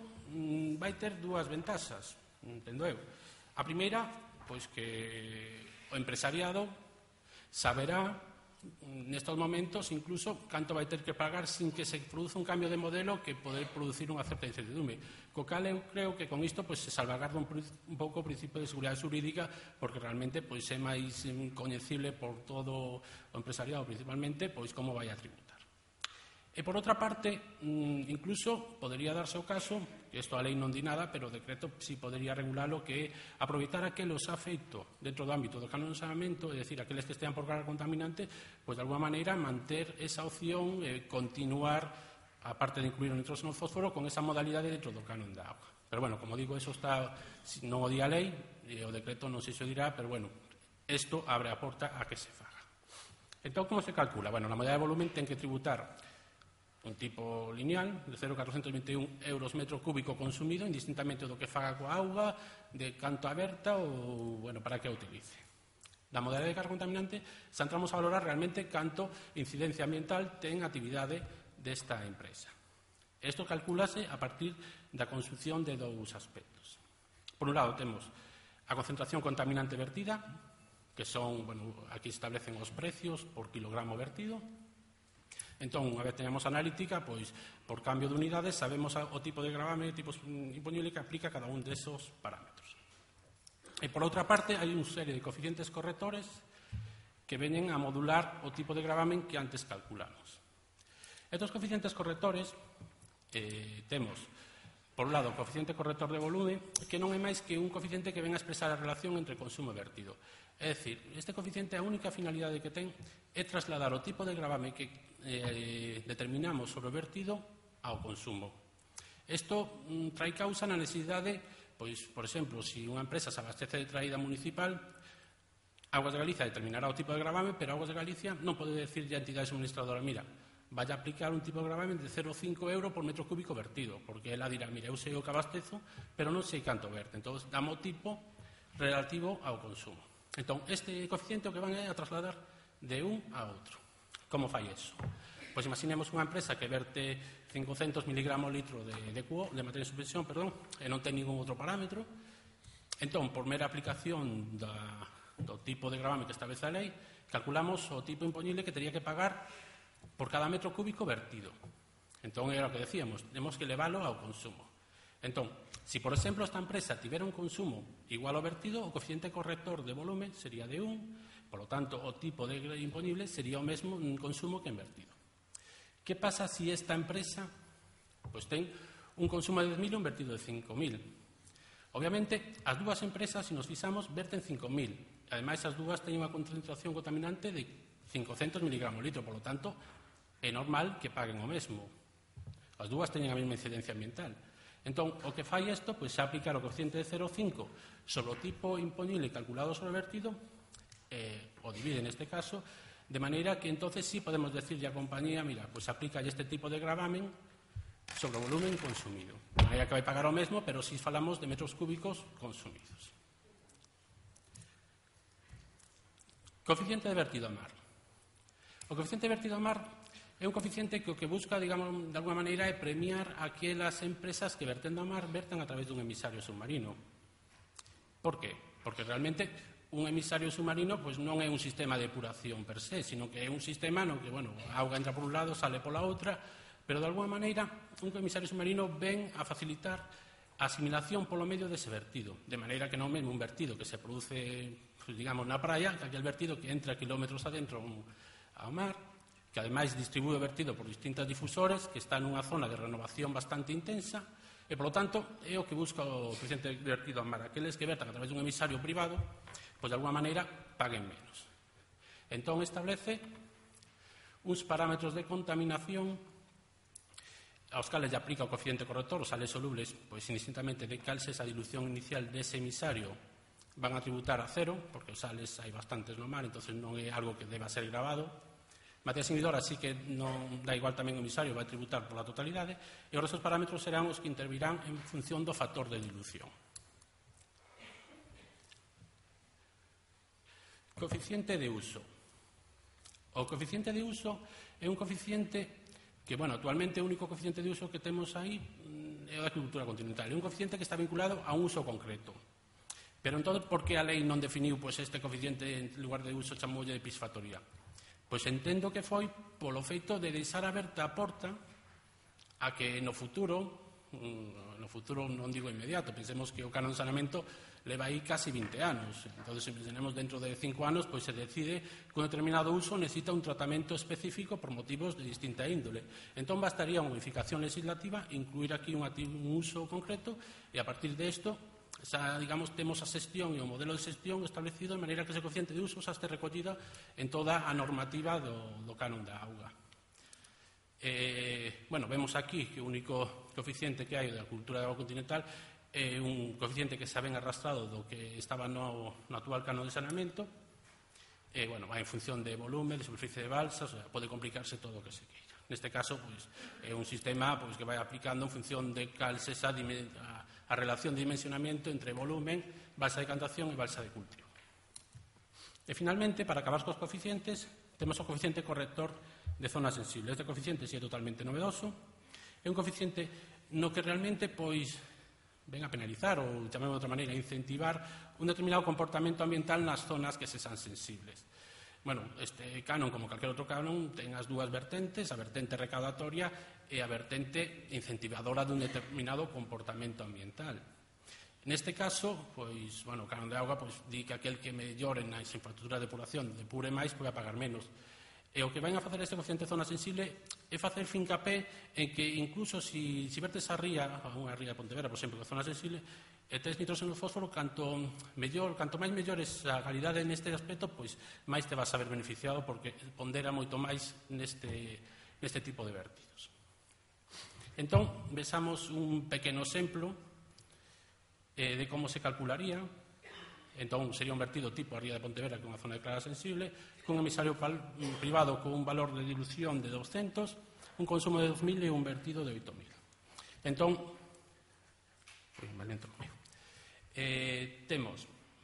vai ter dúas ventaxas, entendo eu. A primeira, que o empresariado saberá nestes momentos incluso canto vai ter que pagar sin que se produza un cambio de modelo que poder producir unha certa incertidumbre. Co cal eu creo que con isto se salvagarda un pouco o principio de seguridade xurídica, porque realmente é máis coñecible por todo o empresariado principalmente como vai a tributar. E por outra parte, incluso podería darse o caso, que isto a lei non di nada, pero o decreto si podería regularlo, que aproveitar aqueles ha feito dentro do ámbito do canon de saneamento, é dicir, aqueles que estean por carga contaminante, de alguma maneira manter esa opción e continuar, aparte de incluir o nitróxeno fósforo, con esa modalidade dentro do canon da auga. Pero, como digo, eso está, non o di a lei, e o decreto non sei se o dirá, pero, isto abre a porta a que se faga. Entón, como se calcula? Na modalidade de volumen ten que tributar un tipo lineal de 0,421 euros metro cúbico consumido, indistintamente do que faga coa auga, de canto aberta ou, para que a utilice. Da modalidade de carga contaminante, se entramos a valorar realmente canto incidencia ambiental ten a actividade desta empresa. Isto calculase a partir da consunción de dous aspectos. Por un lado, temos a concentración contaminante vertida, que son, aquí establecen os precios por kilogramo vertido. Entón, unha vez teñamos analítica, por cambio de unidades, sabemos o tipo de gravame, tipo imponible que aplica cada un desos parámetros. E, por outra parte, hai unha serie de coeficientes correctores que veñen a modular o tipo de gravamen que antes calculamos. Estos coeficientes correctores temos, por un lado, o coeficiente corrector de volume, que non é máis que un coeficiente que ven a expresar a relación entre consumo e vertido. É dicir, este coeficiente, a única finalidade que ten é trasladar o tipo de gravame que determinamos sobre o vertido ao consumo. Isto trae causa na necesidade, por exemplo, se unha empresa se abastece de traída municipal, Augas de Galicia determinará o tipo de gravame, pero Augas de Galicia non pode decirlle a entidade administradora, mira, vai a aplicar un tipo de gravamen de 0,5 euro por metro cúbico vertido, porque ela dirá, mira, eu sei o que abastezo, pero non sei canto verte. Entón, damos o tipo relativo ao consumo. Entón, este coeficiente o que van é a trasladar de un a outro. Como fai eso? Pois imaginemos unha empresa que verte 500 miligramos litro de materia de suspensión, e non ten ningún outro parámetro. Entón, por mera aplicación do tipo de gravame que establece a lei, calculamos o tipo imponible que teria que pagar por cada metro cúbico vertido. Entón, era o que decíamos, temos que leválo ao consumo. Entón, se, por exemplo, esta empresa tivera un consumo igual ao vertido, o coeficiente corrector de volume sería de 1, por lo tanto, o tipo de imponible sería o mesmo consumo que en vertido. Que pasa se esta empresa ten un consumo de 10.000 e un vertido de 5.000? Obviamente, as dúas empresas, se nos fixamos, verten 5.000. Ademais, as dúas teñen unha concentración contaminante de 500 miligramos litro, por lo tanto, é normal que paguen o mesmo. As dúas teñen a mesma incidencia ambiental. Entón, o que fai isto, é aplicar o coeficiente de 0,5 sobre o tipo imponible calculado sobre o vertido, o divide neste caso, de maneira que entonces sí podemos decirle á compañía, mira, aplica este tipo de gravamen sobre o volumen consumido. De maneira que vai pagar o mesmo, pero si falamos de metros cúbicos consumidos. Coeficiente de vertido a mar. O coeficiente de vertido a mar é un coeficiente que o que busca, digamos, de alguma maneira, é premiar aquelas empresas que vertendo a mar vertan a través dun emisario submarino. Por qué? Porque realmente un emisario submarino non é un sistema de depuración per se, sino que é un sistema no que, a auga entra por un lado, sale pola outra, pero de alguma maneira un emisario submarino ven a facilitar a asimilación polo medio dese vertido, de maneira que non mesmo un vertido que se produce, digamos, na praia, que aquel vertido que entra kilómetros adentro ao mar, que ademais distribúe o vertido por distintas difusores, que está nunha zona de renovación bastante intensa, e, polo tanto, é o que busca o coeficiente de vertido ao mar. Aqueles que vertan a través dun emisario privado, pois, de alguma maneira, paguen menos. Entón, establece uns parámetros de contaminación aos cales lle aplica o coeficiente corrector, os sales solubles, pois indistintamente de cal se esa dilución inicial dese emisario van a tributar a cero, porque os sales hai bastantes no mar, entón non é algo que deba ser gravado. Materias inhibidoras sí que non dá igual tamén o emisario, vai tributar pola totalidade, e os restos parámetros serán os que intervirán en función do factor de dilución. Coeficiente de uso. O coeficiente de uso é un coeficiente que, actualmente o único coeficiente de uso que temos aí é o da agricultura continental. É un coeficiente que está vinculado a un uso concreto. Pero, entón, por que a lei non definiu este coeficiente en lugar de uso chamoulle de pisfactoría? Pois entendo que foi polo feito de deixar aberta a porta a que no futuro non digo inmediato, pensemos que o canon de saneamento leva aí casi 20 anos. Entón, se pensemos dentro de 5 anos, pois se decide que un determinado uso necesita un tratamento específico por motivos de distinta índole. Entón, bastaría unha modificación legislativa, incluir aquí un uso concreto, e a partir de isto, digamos, temos a xestión e o modelo de xestión establecido de maneira que ese coeficiente de uso xa este recollida en toda a normativa do canon da auga. Vemos aquí que o único coeficiente que hai da cultura da auga continental é un coeficiente que se ven arrastrado do que estaba no actual canon de saneamento. Vai en función de volume, de superficie de balsas, pode complicarse todo o que se queira. Neste caso, é un sistema que vai aplicando en función de cal se a relación de dimensionamento entre volumen, balsa de cantación e balsa de cultivo. E, finalmente, para acabar cos coeficientes, temos o coeficiente corrector de zonas sensibles. Este coeficiente é totalmente novedoso. É un coeficiente no que realmente ven a penalizar ou, chamemos de outra maneira, incentivar un determinado comportamento ambiental nas zonas que se san sensibles. Este canon, como calquer outro canon, ten as dúas vertentes, a vertente recaudatoria e a vertente incentivadora dun determinado comportamento ambiental. Neste caso, o canon de auga di que aquel que mellore nas infraestructuras de depuración depure máis pode pagar menos. E o que van a facer este coeficiente de zona sensible é facer fincapé en que incluso se vertes a unha ría de Pontevedra, por exemplo, que é zona sensible, e tes nitróxeno e fósforo, canto máis mellores a calidade neste aspecto, máis te vas a ver beneficiado, porque pondera moito máis neste tipo de vertidos. Entón, vexamos un pequeno exemplo de como se calcularía. Entón, sería un vertido tipo a ría de Pontevedra, que é unha zona declarada sensible, con un emisario privado con un valor de dilución de 200, un consumo de 2.000 e un vertido de 8.000. Entón,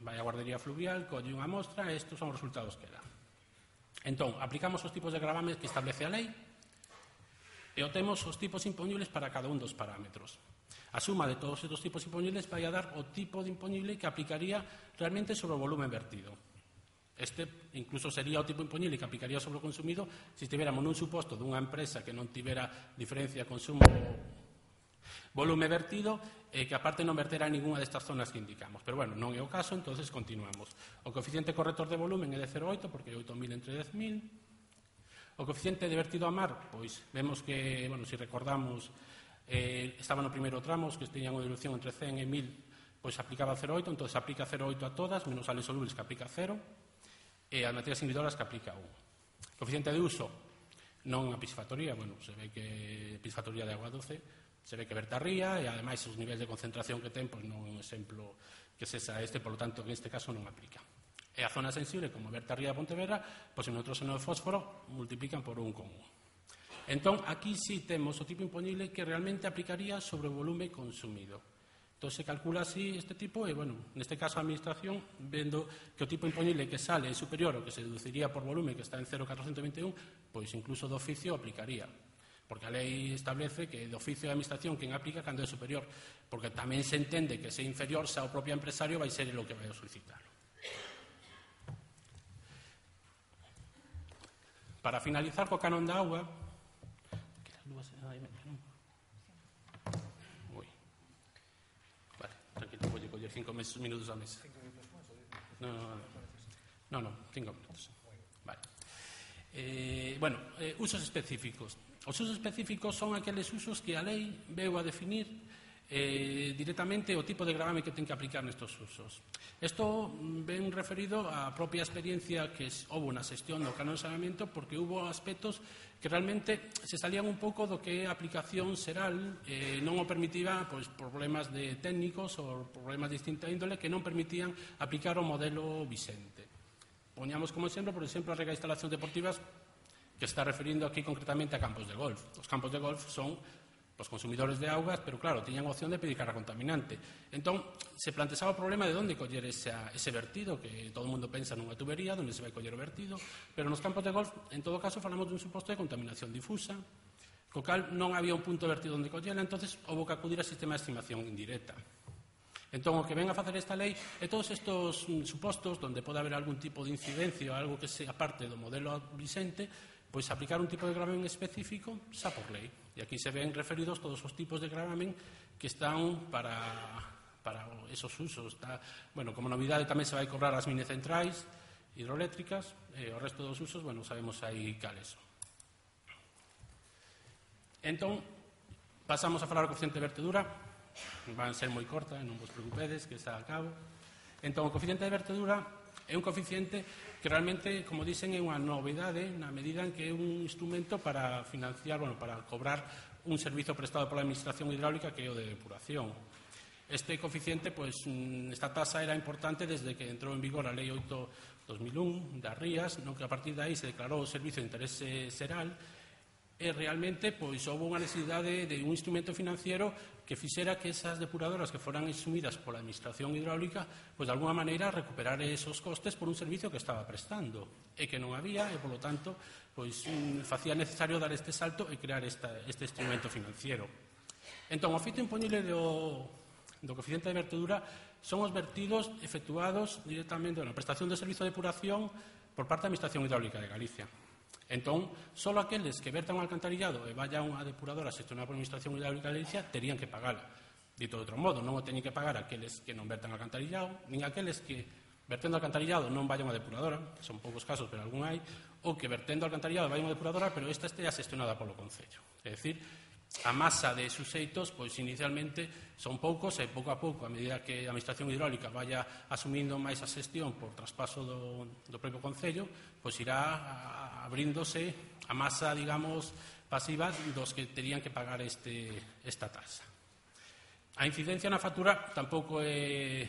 vai a guardería fluvial, colle unha mostra, e estes son os resultados que dá. Entón, aplicamos os tipos de gravamen que establece a lei e obtemos os tipos imponibles para cada un dos parámetros. A suma de todos estes tipos imponibles vai a dar o tipo de imponible que aplicaría realmente sobre o volumen vertido. Este incluso sería o tipo imponible que aplicaría sobre o consumido se estiveramos nun suposto dunha empresa que non tivera diferencia consumo volume vertido e que aparte non vertera en ninguna destas zonas que indicamos. Pero, non é o caso, entonces continuamos. O coeficiente corrector de volumen é de 0,8 porque é 8.000 entre 10.000. O coeficiente de vertido a mar, vemos que, se recordamos, estaba no primeiro tramo, os que teñan unha dilución entre 100 e 1000, aplicaba 0,8, entón aplica 0,8 a todas, menos sales solubles que aplica 0, e as materias inhibidoras que aplica 1. Coeficiente de uso, non a pisfactoría, se ve que pisfactoría de agua doce, se ve que verta ría, e ademais os niveis de concentración que ten, non é un exemplo que sexa este, polo tanto, en este caso non aplica. E a zona sensible, como verta ría de Pontevedra, en nitróxeno de fósforo multiplican por 1,1. Entón, aquí sí temos o tipo imponible que realmente aplicaría sobre o volume consumido. Entón, se calcula así este tipo e, neste caso a administración, vendo que o tipo imponible que sale é superior ao que se deduciría por volume, que está en 0,421, incluso do oficio aplicaría. Porque a lei establece que de oficio de administración quen aplica cando é superior, porque tamén se entende que se é inferior xa o propio empresario vai ser o que vai a solicitarlo. Para finalizar co canon da auga, 5 minutos a mesa. No, 5 minutos. Vale. Usos específicos. Os usos específicos son aqueles usos que a lei veu a definir directamente o tipo de gravame que ten que aplicar nestes usos. Isto ven referido á propia experiencia que houve na xestión do canon de saneamento, porque houve aspectos que realmente se salían un pouco do que é a aplicación xeral, non o permitía problemas de técnicos ou problemas de distinta índole que non permitían aplicar o modelo vixente. Poñamos como exemplo, por exemplo, a rega de instalacións deportivas, que está referindo aquí concretamente a campos de golf. Os campos de golf son os consumidores de augas, pero claro, tiñan a opción de pedir carga contaminante. Entón, se plantexaba o problema de onde coller ese vertido, que todo o mundo pensa nunha tubería, onde se vai coller o vertido, pero nos campos de golf, en todo caso, falamos dun suposto de contaminación difusa, co cal non había un punto de vertido onde collela, entonces houve que acudir ao sistema de estimación indirecta. Entón, o que ven a facer esta lei é todos estes supostos onde pode haber algún tipo de incidencia ou algo que sea parte do modelo vixente, pois aplicar un tipo de gravamen específico xa por lei. E aquí se ven referidos todos os tipos de gravamen que están para esos usos. Como novidade tamén se vai cobrar as minecentrais hidroeléctricas, e o resto dos usos, sabemos aí cales son. Entón, pasamos a falar do coeficiente de vertedura. Van ser moi corta, non vos preocupedes, que xa acabo. Entón, o coeficiente de vertedura é un coeficiente que realmente, como dicen, é unha novidade na medida en que é un instrumento para financiar, para cobrar un servizo prestado pola Administración Hidráulica que é o de depuración. Este coeficiente, esta tasa era importante desde que entrou en vigor a Lei 8/2001 das rías, no que a partir de aí se declarou o servizo de interese xeral, e realmente houve unha necesidade de un instrumento financiero que fixera que esas depuradoras que foran asumidas pola Administración Hidráulica de alguna maneira recuperar esos costes por un servicio que estaba prestando e que non había, e polo tanto facía necesario dar este salto e crear este instrumento financiero. Entón, o fito impoñible do coeficiente de vertedura son os vertidos efectuados directamente na prestación de servizo de depuración por parte da Administración Hidráulica de Galicia. Entón, só aqueles que vertan un alcantarillado e vayan a unha depuradora xestionada por a Administración Hidráulica de Galicia terían que pagala. Dito de outro modo, non o teñen que pagar aqueles que non vertan alcantarillado, nin aqueles que vertendo alcantarillado non vayan a depuradora, son poucos casos, pero algún hai, ou que vertendo alcantarillado vayan a depuradora, pero esta estea xestionada polo Concello. É dicir, a masa de suxeitos, inicialmente son poucos e pouco a pouco, a medida que a Administración Hidráulica vaya asumindo máis a xestión por traspaso do propio Concello, irá abríndose a masa, digamos, pasiva dos que terían que pagar esta tasa. A incidencia na factura tampouco é...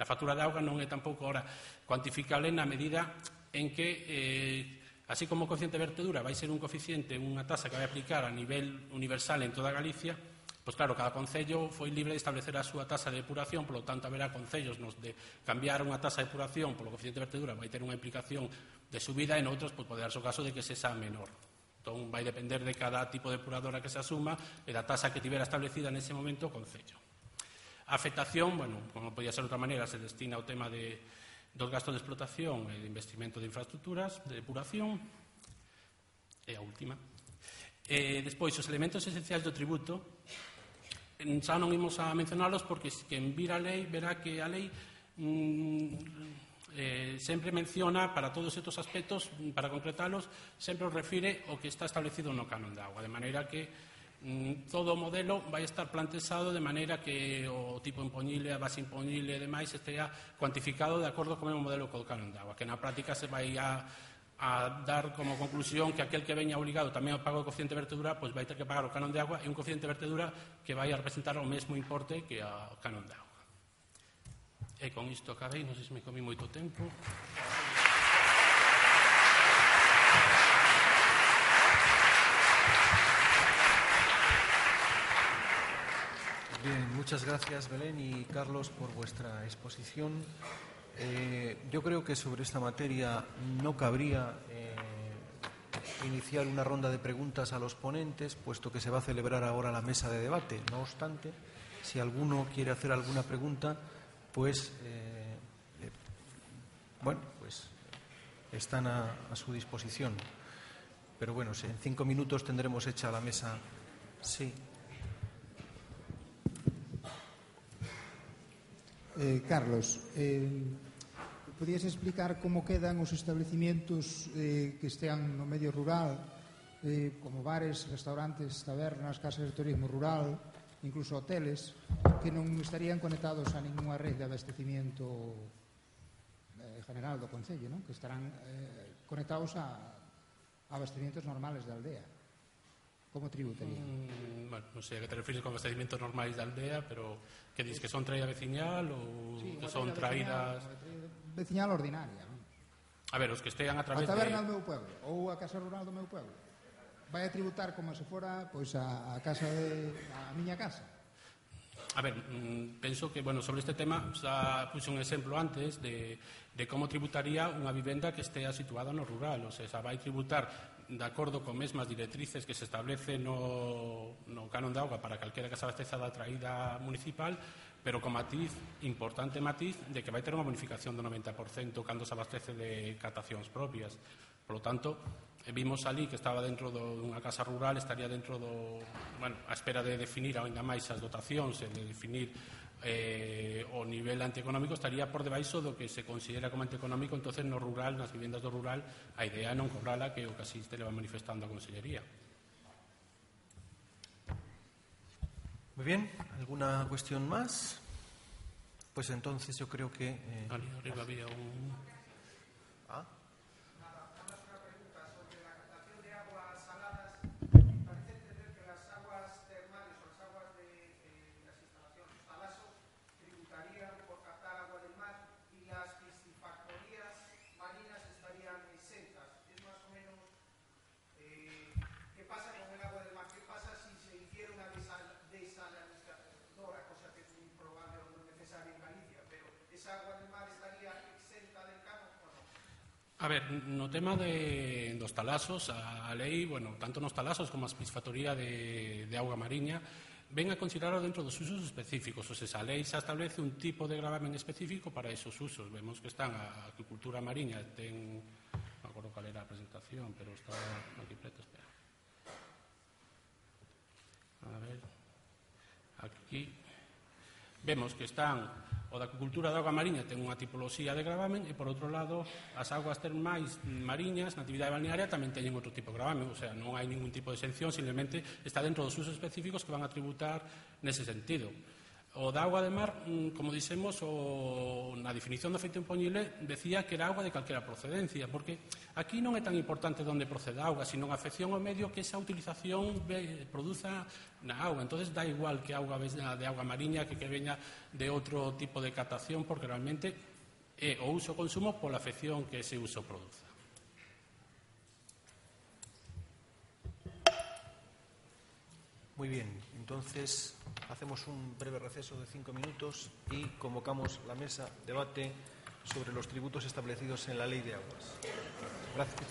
Na factura de auga non é tampouco ahora cuantificable na medida en que... Así como o coeficiente de vertedura vai ser un coeficiente, unha tasa que vai aplicar a nivel universal en toda Galicia, claro, cada concello foi libre de establecer a súa tasa de depuración, polo tanto, haberá concellos nos de cambiar unha tasa de depuración polo coeficiente de vertedura vai ter unha implicación de subida, e noutros pode darse o caso de que se xa menor. Entón, vai depender de cada tipo de depuradora que se asuma e da tasa que tivera establecida nese momento o concello. A afectación, como podía ser de outra maneira, se destina ao tema dos gastos de explotación e de investimento de infraestructuras, de depuración, e a última. Despois, os elementos esenciais do tributo, xa non imos a mencionalos porque quen vira a lei verá que a lei sempre menciona para todos estes aspectos, para concretalos, sempre os refire o que está establecido no canon de auga, de maneira que todo o modelo vai estar plantexado de maneira que o tipo impoñible, a base impoñible e demais estea cuantificado de acordo con o modelo co canon de auga, que na práctica se vai a dar como conclusión que aquel que veña obligado tamén ao pago do coeficiente de vertedura vai ter que pagar o canon de auga e un coeficiente de vertedura que vai a representar o mesmo importe que o canon de auga. E con isto acabei, non sei se me comí moito tempo. Bien, muchas gracias Belén y Carlos por vuestra exposición. Yo creo que sobre esta materia no cabría iniciar una ronda de preguntas a los ponentes, puesto que se va a celebrar ahora la mesa de debate. No obstante, si alguno quiere hacer alguna pregunta, pues están a su disposición. Pero bueno, en 5 minutos tendremos hecha la mesa. Sí. Carlos, podías explicar como quedan os establecimientos que estean no medio rural, como bares, restaurantes, tabernas, casas de turismo rural, incluso hoteles, que non estarían conectados a ninguna red de abastecimiento general do Concello, non? Que estarán conectados a abastecimientos normales da aldea. Como tributarían? Bueno, non sei a que te refires con abastecimientos normais da aldea, pero que dis que son traída veciñal ou que son traídas... Veciñal ordinaria, non? A ver, os que estean a través a taberna do meu pueblo ou a casa rural do meu pueblo vai a tributar como se fora pois a casa a miña casa. A ver, penso que, bueno, sobre este tema xa puse un exemplo antes de como tributaría unha vivenda que estea situada no rural, o sea, vai tributar de acordo con mesmas directrices que se establece no canon de auga para calquera que se abasteza da traída municipal, pero con matiz, importante matiz, de que vai ter unha bonificación do 90% cando se abastece de catacións propias. Por lo tanto, vimos ali que estaba dentro dunha casa rural, estaría dentro a espera de definir ainda máis as dotacións e de definir o nivel antieconómico, estaría por debaixo do que se considera como antieconómico. Entonces no rural, nas vivendas do rural, a idea é non cobrala, que o que así se leva manifestando a Consellería. Muy bien, ¿alguna cuestión más? Pues entonces yo creo que... Arriba había un... A ver, no tema dos talasos, a lei, bueno, tanto nos talasos como a piscifactoría de auga mariña, ven a considerarlo dentro dos usos específicos. O sea, a lei xa establece un tipo de gravamen específico para esos usos. Vemos que están a acuicultura mariña, ten... Non me acordo cal era a presentación, pero está aquí preto, espera. A ver, aquí vemos que están... O da acuicultura de auga mariña ten unha tipoloxía de gravamen e, por outro lado, as augas termais mariñas na actividade balnearia tamén teñen outro tipo de gravamen. O sea, non hai ningún tipo de exención, simplemente está dentro dos usos específicos que van a tributar nese sentido. O da auga de mar, como dixemos, na definición do feito impoñible decía que era auga de calquera procedencia, porque aquí non é tan importante onde procede a auga, sino a afección ao medio que esa utilización produza na auga. Entonces dá igual que auga de auga mariña que veña de outro tipo de catación, porque realmente é o uso e consumo pola afección que ese uso produza. Muy bien, entonces hacemos un breve receso de 5 minutos y convocamos la mesa debate sobre los tributos establecidos en la Ley de Aguas. Gracias.